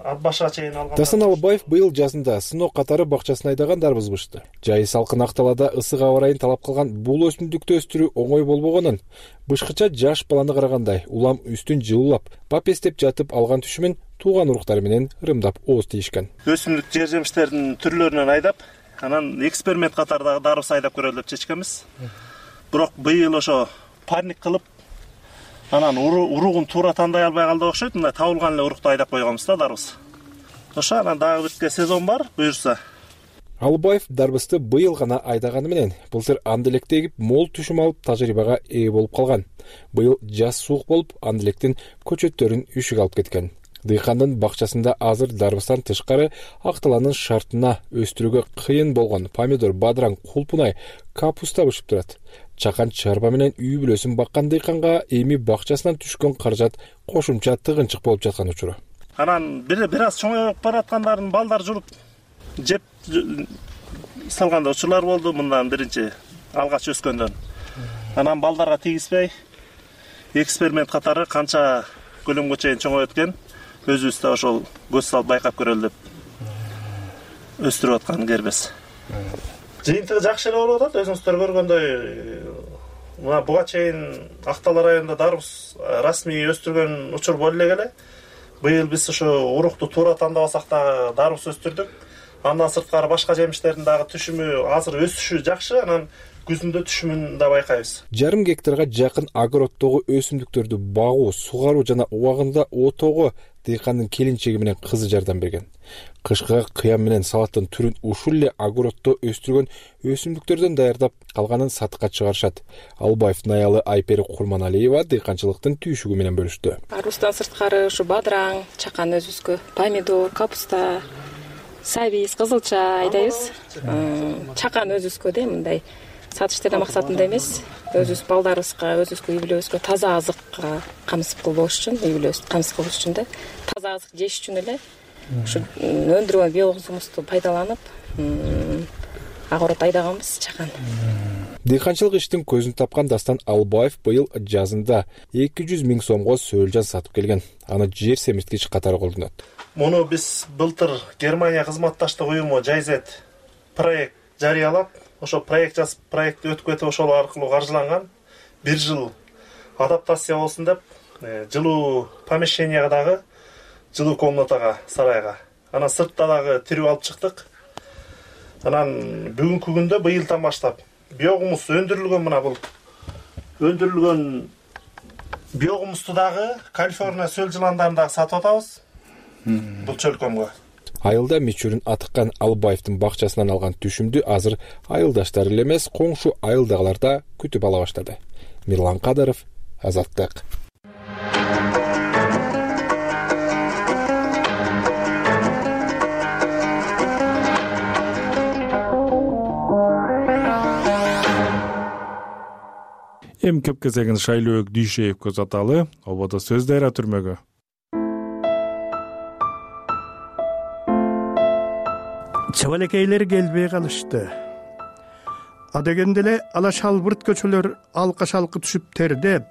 Ат башка чейин алган. Дастан Алыбаев быйыл жазында сынок катары бакчасын айдаган дарбыз бышты. Жайы салкын Акталада ысык аба ырайын талап кылган бул өсүмдүктү өстүрүү оңой болбогонун, бышкыча жаш баланы карагандай улам үстүн жылуулап, папестеп жатып алган түшүмүн тууган уруктары менен ырымдап ооз тийишкен. Өсүмдүк жер жемиштердин түрлөрүнөн айдап, анан эксперимент катарындагы дарбыз айдап көрөлү деп чечкенбиз. Бирок быйыл ошо парник кылып, анан уругун туура тандай албай калды окшойт, мындай табылган эле урукту айдап койгонбуз да дарбыз. Ошо анан дагы бирке сезон бар, буюрса. Алыбаев дарбызды быйыл гана айдаганы менен былтыр анделек тегип, мол түшүм алып тажрыйбага ээ болуп калган. Быйыл жаз суук болуп, анделектин көчөттөрүн үшүк алып кеткен. Дыйкандын бакчасында азыр дарбыздан тышкары Акталанын шартына өстүрүүгө кыйын болгон помидор, бадыраң, кулпунай, капуста бышып турат. Чакан чарба менен үй бүлөсүн баккан дыйканга эми бакчасынан түшкөн каражат кошумча тыгынчык болуп жаткан учуру. Анан бир бир аз чоңоюп бараткандарын балдар журуп жеп салганда учурлар болду, мындан биринчи алгач өскөндөн. Анан балдарга тийгизбей эксперимент катары канча көлөмгө чейин чоңоюп өткөн, өзүбүз да ошол көз салып байкап көрөлү деп өстүрүп аткан кербез. Жыйынтыгы жакшы эле болуп атат, өзүңүздөр көргөндөй. Мына буга чейин Актала районунда дарбыз расмий өстүргөн учур боло эле. Быйыл биз ошо урукту туура тандабасак да дарбыз өстүрдүк. Андан сырткары башка жемиштердин дагы түшүмү азыр өсүшү жакшы, анан күзүндө түшүмүн да байкайбыз. Жарым гектарга жакын огороддогу өсүмдүктөрдү багуу, сугаруу жана убагында отоого дыйкандын келинчеги менен кызы жардам берген. Кышкыга кыям менен салаттын түрүн ушул эле огороддо өстүргөн өсүмдүктөрдөн даярдап, калганын сатыкка чыгарышат. Албаевдин аялы Айпери Курманалиева дыйканчылыктын түйшүгү менен бөлүштү. Арбуздан сырткары ушу бадыраң, чакан өзүбүзгө, помидор, капуста, сабиз, кызылча айдайбыз. Чакан өзүбүзгө да мындай сатыштыруу максатында эмес, өзүбүз балдарыбызга, өзүбүзгө, үй бүлөбүзгө таза азыкка камсыз болуш үчүн, үй бүлөбүздү камсыз кылыш үчүн да, таза азык жеш үчүн эле ушу өндүргөн биологик гумусту пайдаланып, огород айдаганбыз чакан. Дыйканчылык иштин көзүн тапкан Дастан Албаев быйыл жазында эки жүз миң сомго сөөлжан сатып келген. Аны жер семирткич катары колдонот. Муну биз былтыр Германия кызматташтык уюму Жайзет проект жарыялап, ошо проект жазып, проектти өтүп кетип, ошол аркылуу каржыланган. Бир жыл адаптация болсун деп, жылуу помещенияга дагы, жылуу комнатага, сарайга. Анан сыртта дагы тирүү алып чыктык. Анан бүгүнкү күндө быйылдан баштап биогумус өндүрүлгөн, мына бул өндүрүлгөн биогумусту дагы Калифорния сөл жыландарын дагы сатып атабыз. Бул чөлкөмгө. Айылда мичурун атыккан Албаевдин бакчасынан алган түшүмдү азыр айылдаштары эле эмес, коңшу айылдагылар да күтүп ала баштады. Мирлан Кадыров, Азаттык. Эми кеп кезегин Шайлөөк Дүйшеевге узаталы. Ободо сөз дайра түрмөгө. Чабалекейлер келбей калышты. Адегенде эле ала шалбырт көчөлөр алка шалкы түшүп тердеп,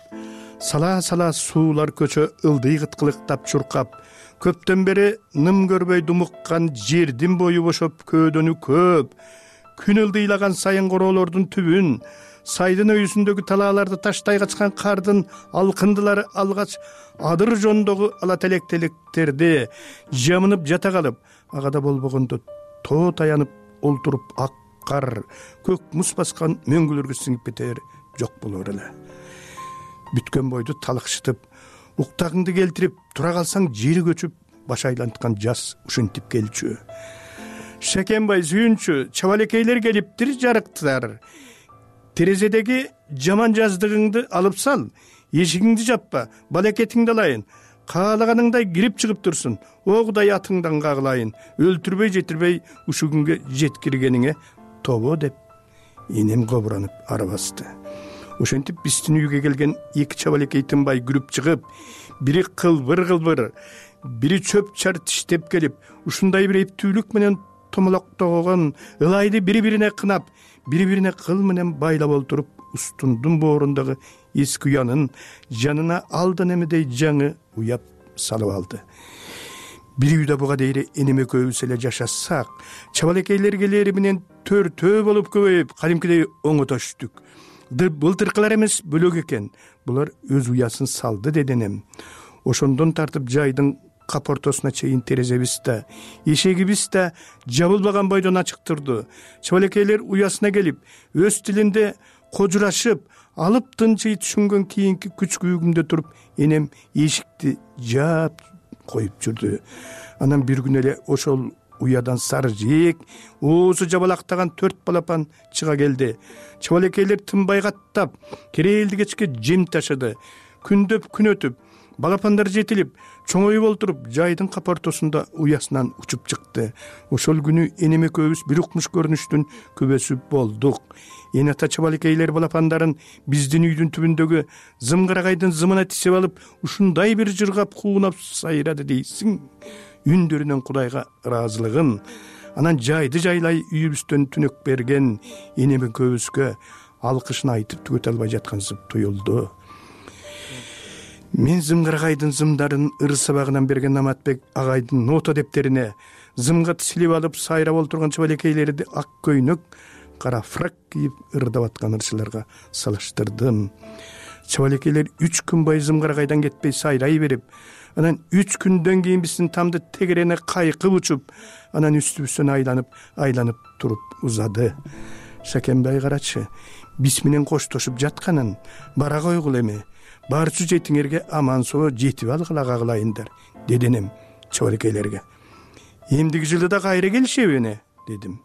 сала-сала суулар көчө ылдый кыткылыктап чуркап, көптөн бери ным көрбөй думуккан жердин бою бошоп көөдөнү көп, күн ылдыйлаган сайын короолордун түбүн, сайдын өйүсүндөгү талааларды таштай качкан кардын алкындылары алгач адыр жондогу ала телек-телектерди жамынып жата калып, агада болбогондо тоо таянып олтуруп ак кар, көк муз баскан мөңгүлөргө сиңип кетер жок болор эле. Бүткөн бойду талыкшытып, уктагыңды келтирип тура калсаң жери көчүп, баш айланткан жаз ушинтип келчү. Шекенбай сүйүнчү, чабалекейлер келиптир жарыктар. Терезедеги жаман жаздыгыңды алып сал, эшигиңди жаппа, балекетиңди алайын. Каалаганыңдай кирип чыгып турсун, огудай атыңдан кагылайын, өлтүрбөй жетирбей ушу күнгө жеткиргениңе тобо деп энем кобуранып арабасты. Ошентип биздин үйгө келген эки чабалекей тынбай күрүп чыгып, бири кылбыр-кылбыр, бири чөп чар тиштеп келип, ушундай бир эптүүлүк менен томолоктогон ылайды бири-бирине кынап, бири-бирине кыл менен байлап олтуруп, устундун боорундагы эски уянын жанына алдан эмедей жаңы уяп салып алды. Бир үйдө буга дейре энем экөөбүз эле жашасак, чабалекейлер келери менен төртөө болуп көбөйүп, кадимкидей оңотоштук. Былтыркылар эмес бөлөк экен. Булар өз уясын салды деди энем. Ошондон тартып жайдын капортосуна чейин терезебиз да, эшегибиз да жабылбаган бойдон ачык турду. Чабалекейлер уясына келип, өз тилинде кожурашып, алып тынчый түшүнгөн кийинки күч күйүгүмдө туруп, энем эшикти жаап коюп жүрдү. Анан бир күн эле ошол уядан сары жээк, оозу жабалактаган төрт балапан чыга келди. Чабалекейлер тынбай каттап, керээлди кечке жем ташыды. Күндөп күн өтүп, балапандар жетилип, чоңоюп олтуруп, жайдын капортосунда уясынан учуп чыкты. Ошол күнү энем экөөбүз бир укмуш көрүнүштүн күбөсү болдук. Эне ата чабалекейлер балапандарын биздин үйдүн түбүндөгү зымгырагайдын зымына тисеп алып, ушундай бир жыргап куунап сайрады дейсиң. Үндөрүнөн Кудайга ыраазылыгын, анан жайды жайлай үйүбүздөн түнөк берген энем экөөбүзгө алкышын айтып түгөтө албай жаткансып туюлду. Мен зымгырагайдын зымдарын ыр сабагынан берген Наматбек агайдын нота дептерине зымга тисилип алып сайрап олтурган чабалекейлерди ак көйнөк, кара фрак кийип ырдап аткан ырчыларга салыштырдым. Чабалекейлер үч күн бою зымгырагайдан кетпей сайрай берип, анан үч күндөн кийин биздин тамды тегерене кайкып учуп, анан үстүбүздөн айланып, айланып туруп узады. Шакенбай карачы, биз менен коштошуп жатканын бара койгул эми. Барчу жетиңерге аман соо жетип алгыла кагылайындар, деди энем чабалекейлерге. Эмдиги жылы да кайра келишеби, дедим.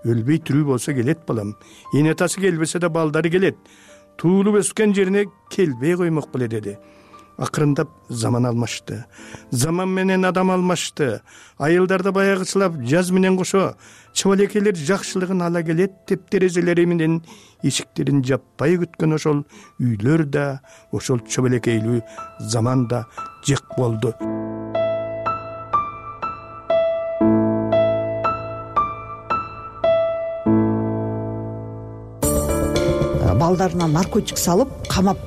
Өлбөй тирүү болсо келет балам. Эне атасы келбесе да балдары келет. Туулуп өскөн жерине келбей коймок беле, деди. Акырындап заман алмашты. Заман менен адам алмашты. Айылдарда баягычылап жаз менен кошо чабалекейлер жакшылыгын ала келет деп терезелери менен эшиктерин жаппай күткөн ошол үйлөр да, ошол чабалекейлүү заман да жек болду. Балдарына наркотик салып, камап,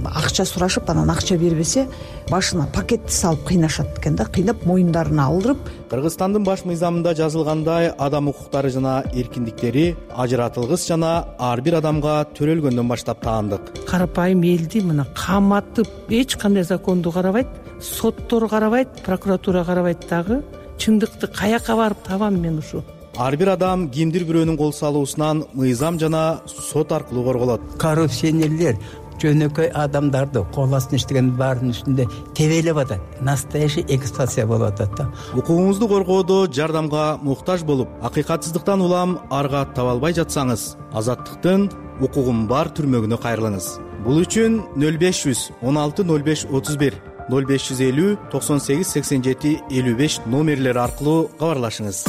акча сурашып, анан акча бербесе, башына пакетти салып кыйнашат экен да, кыйнап моюндарына алдырып. Кыргызстандын баш мыйзамында жазылгандай, адам укуктары жана эркиндиктери ажыратылгыс жана ар бир адамга төрөлгөндөн баштап таандык. Карапайым элди мына каматып, эч кандай законду карабайт, соттор карабайт, прокуратура карабайт дагы. Чындыкты каяка барып табам мен ушу? Ар бир адам кимдир бирөөнүн кол салуусунан мыйзам жана сот аркылуу корголот. Коррупционерлер жөнөкөй адамдарды кол астына иштеген баардын үстүндө тебелеп атат. Настоящий эксплуатация болуп атат да. Укугуңузду коргоодо жардамга муктаж болуп, акыйкатсыздыктан улам арга таба албай жатсаңыз, Азаттыктын укугум бар түрмөгүнө кайрылыңыз. Бул үчүн нөл беш жүз он алты нөл беш отуз бир, нөл беш жүз элүү токсон сегиз сексен жети элүү беш номерлери аркылуу кабарлашыңыз.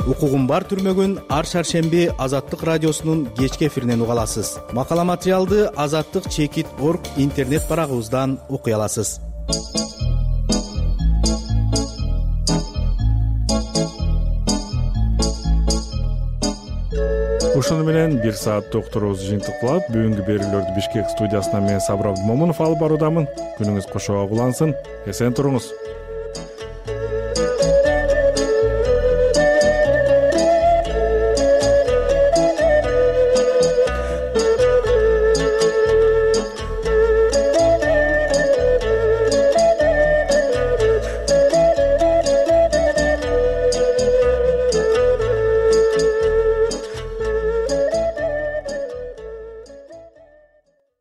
Укугум бар түрмөгүн ар шаршемби Азаттык радиосунун кечки эфиринен уга аласыз. Макала материалды азаттык чекит орг интернет барагыбыздан окуй аласыз. Ушуну менен бир сааттык уктуруубузду жыйынтыкталап, бүгүнкү берүүлөрдү Бишкек студиясынан мен Сабыр Абдымомунов алып баруудамын. Күнүңүз кошо улансын, эсен туруңуз.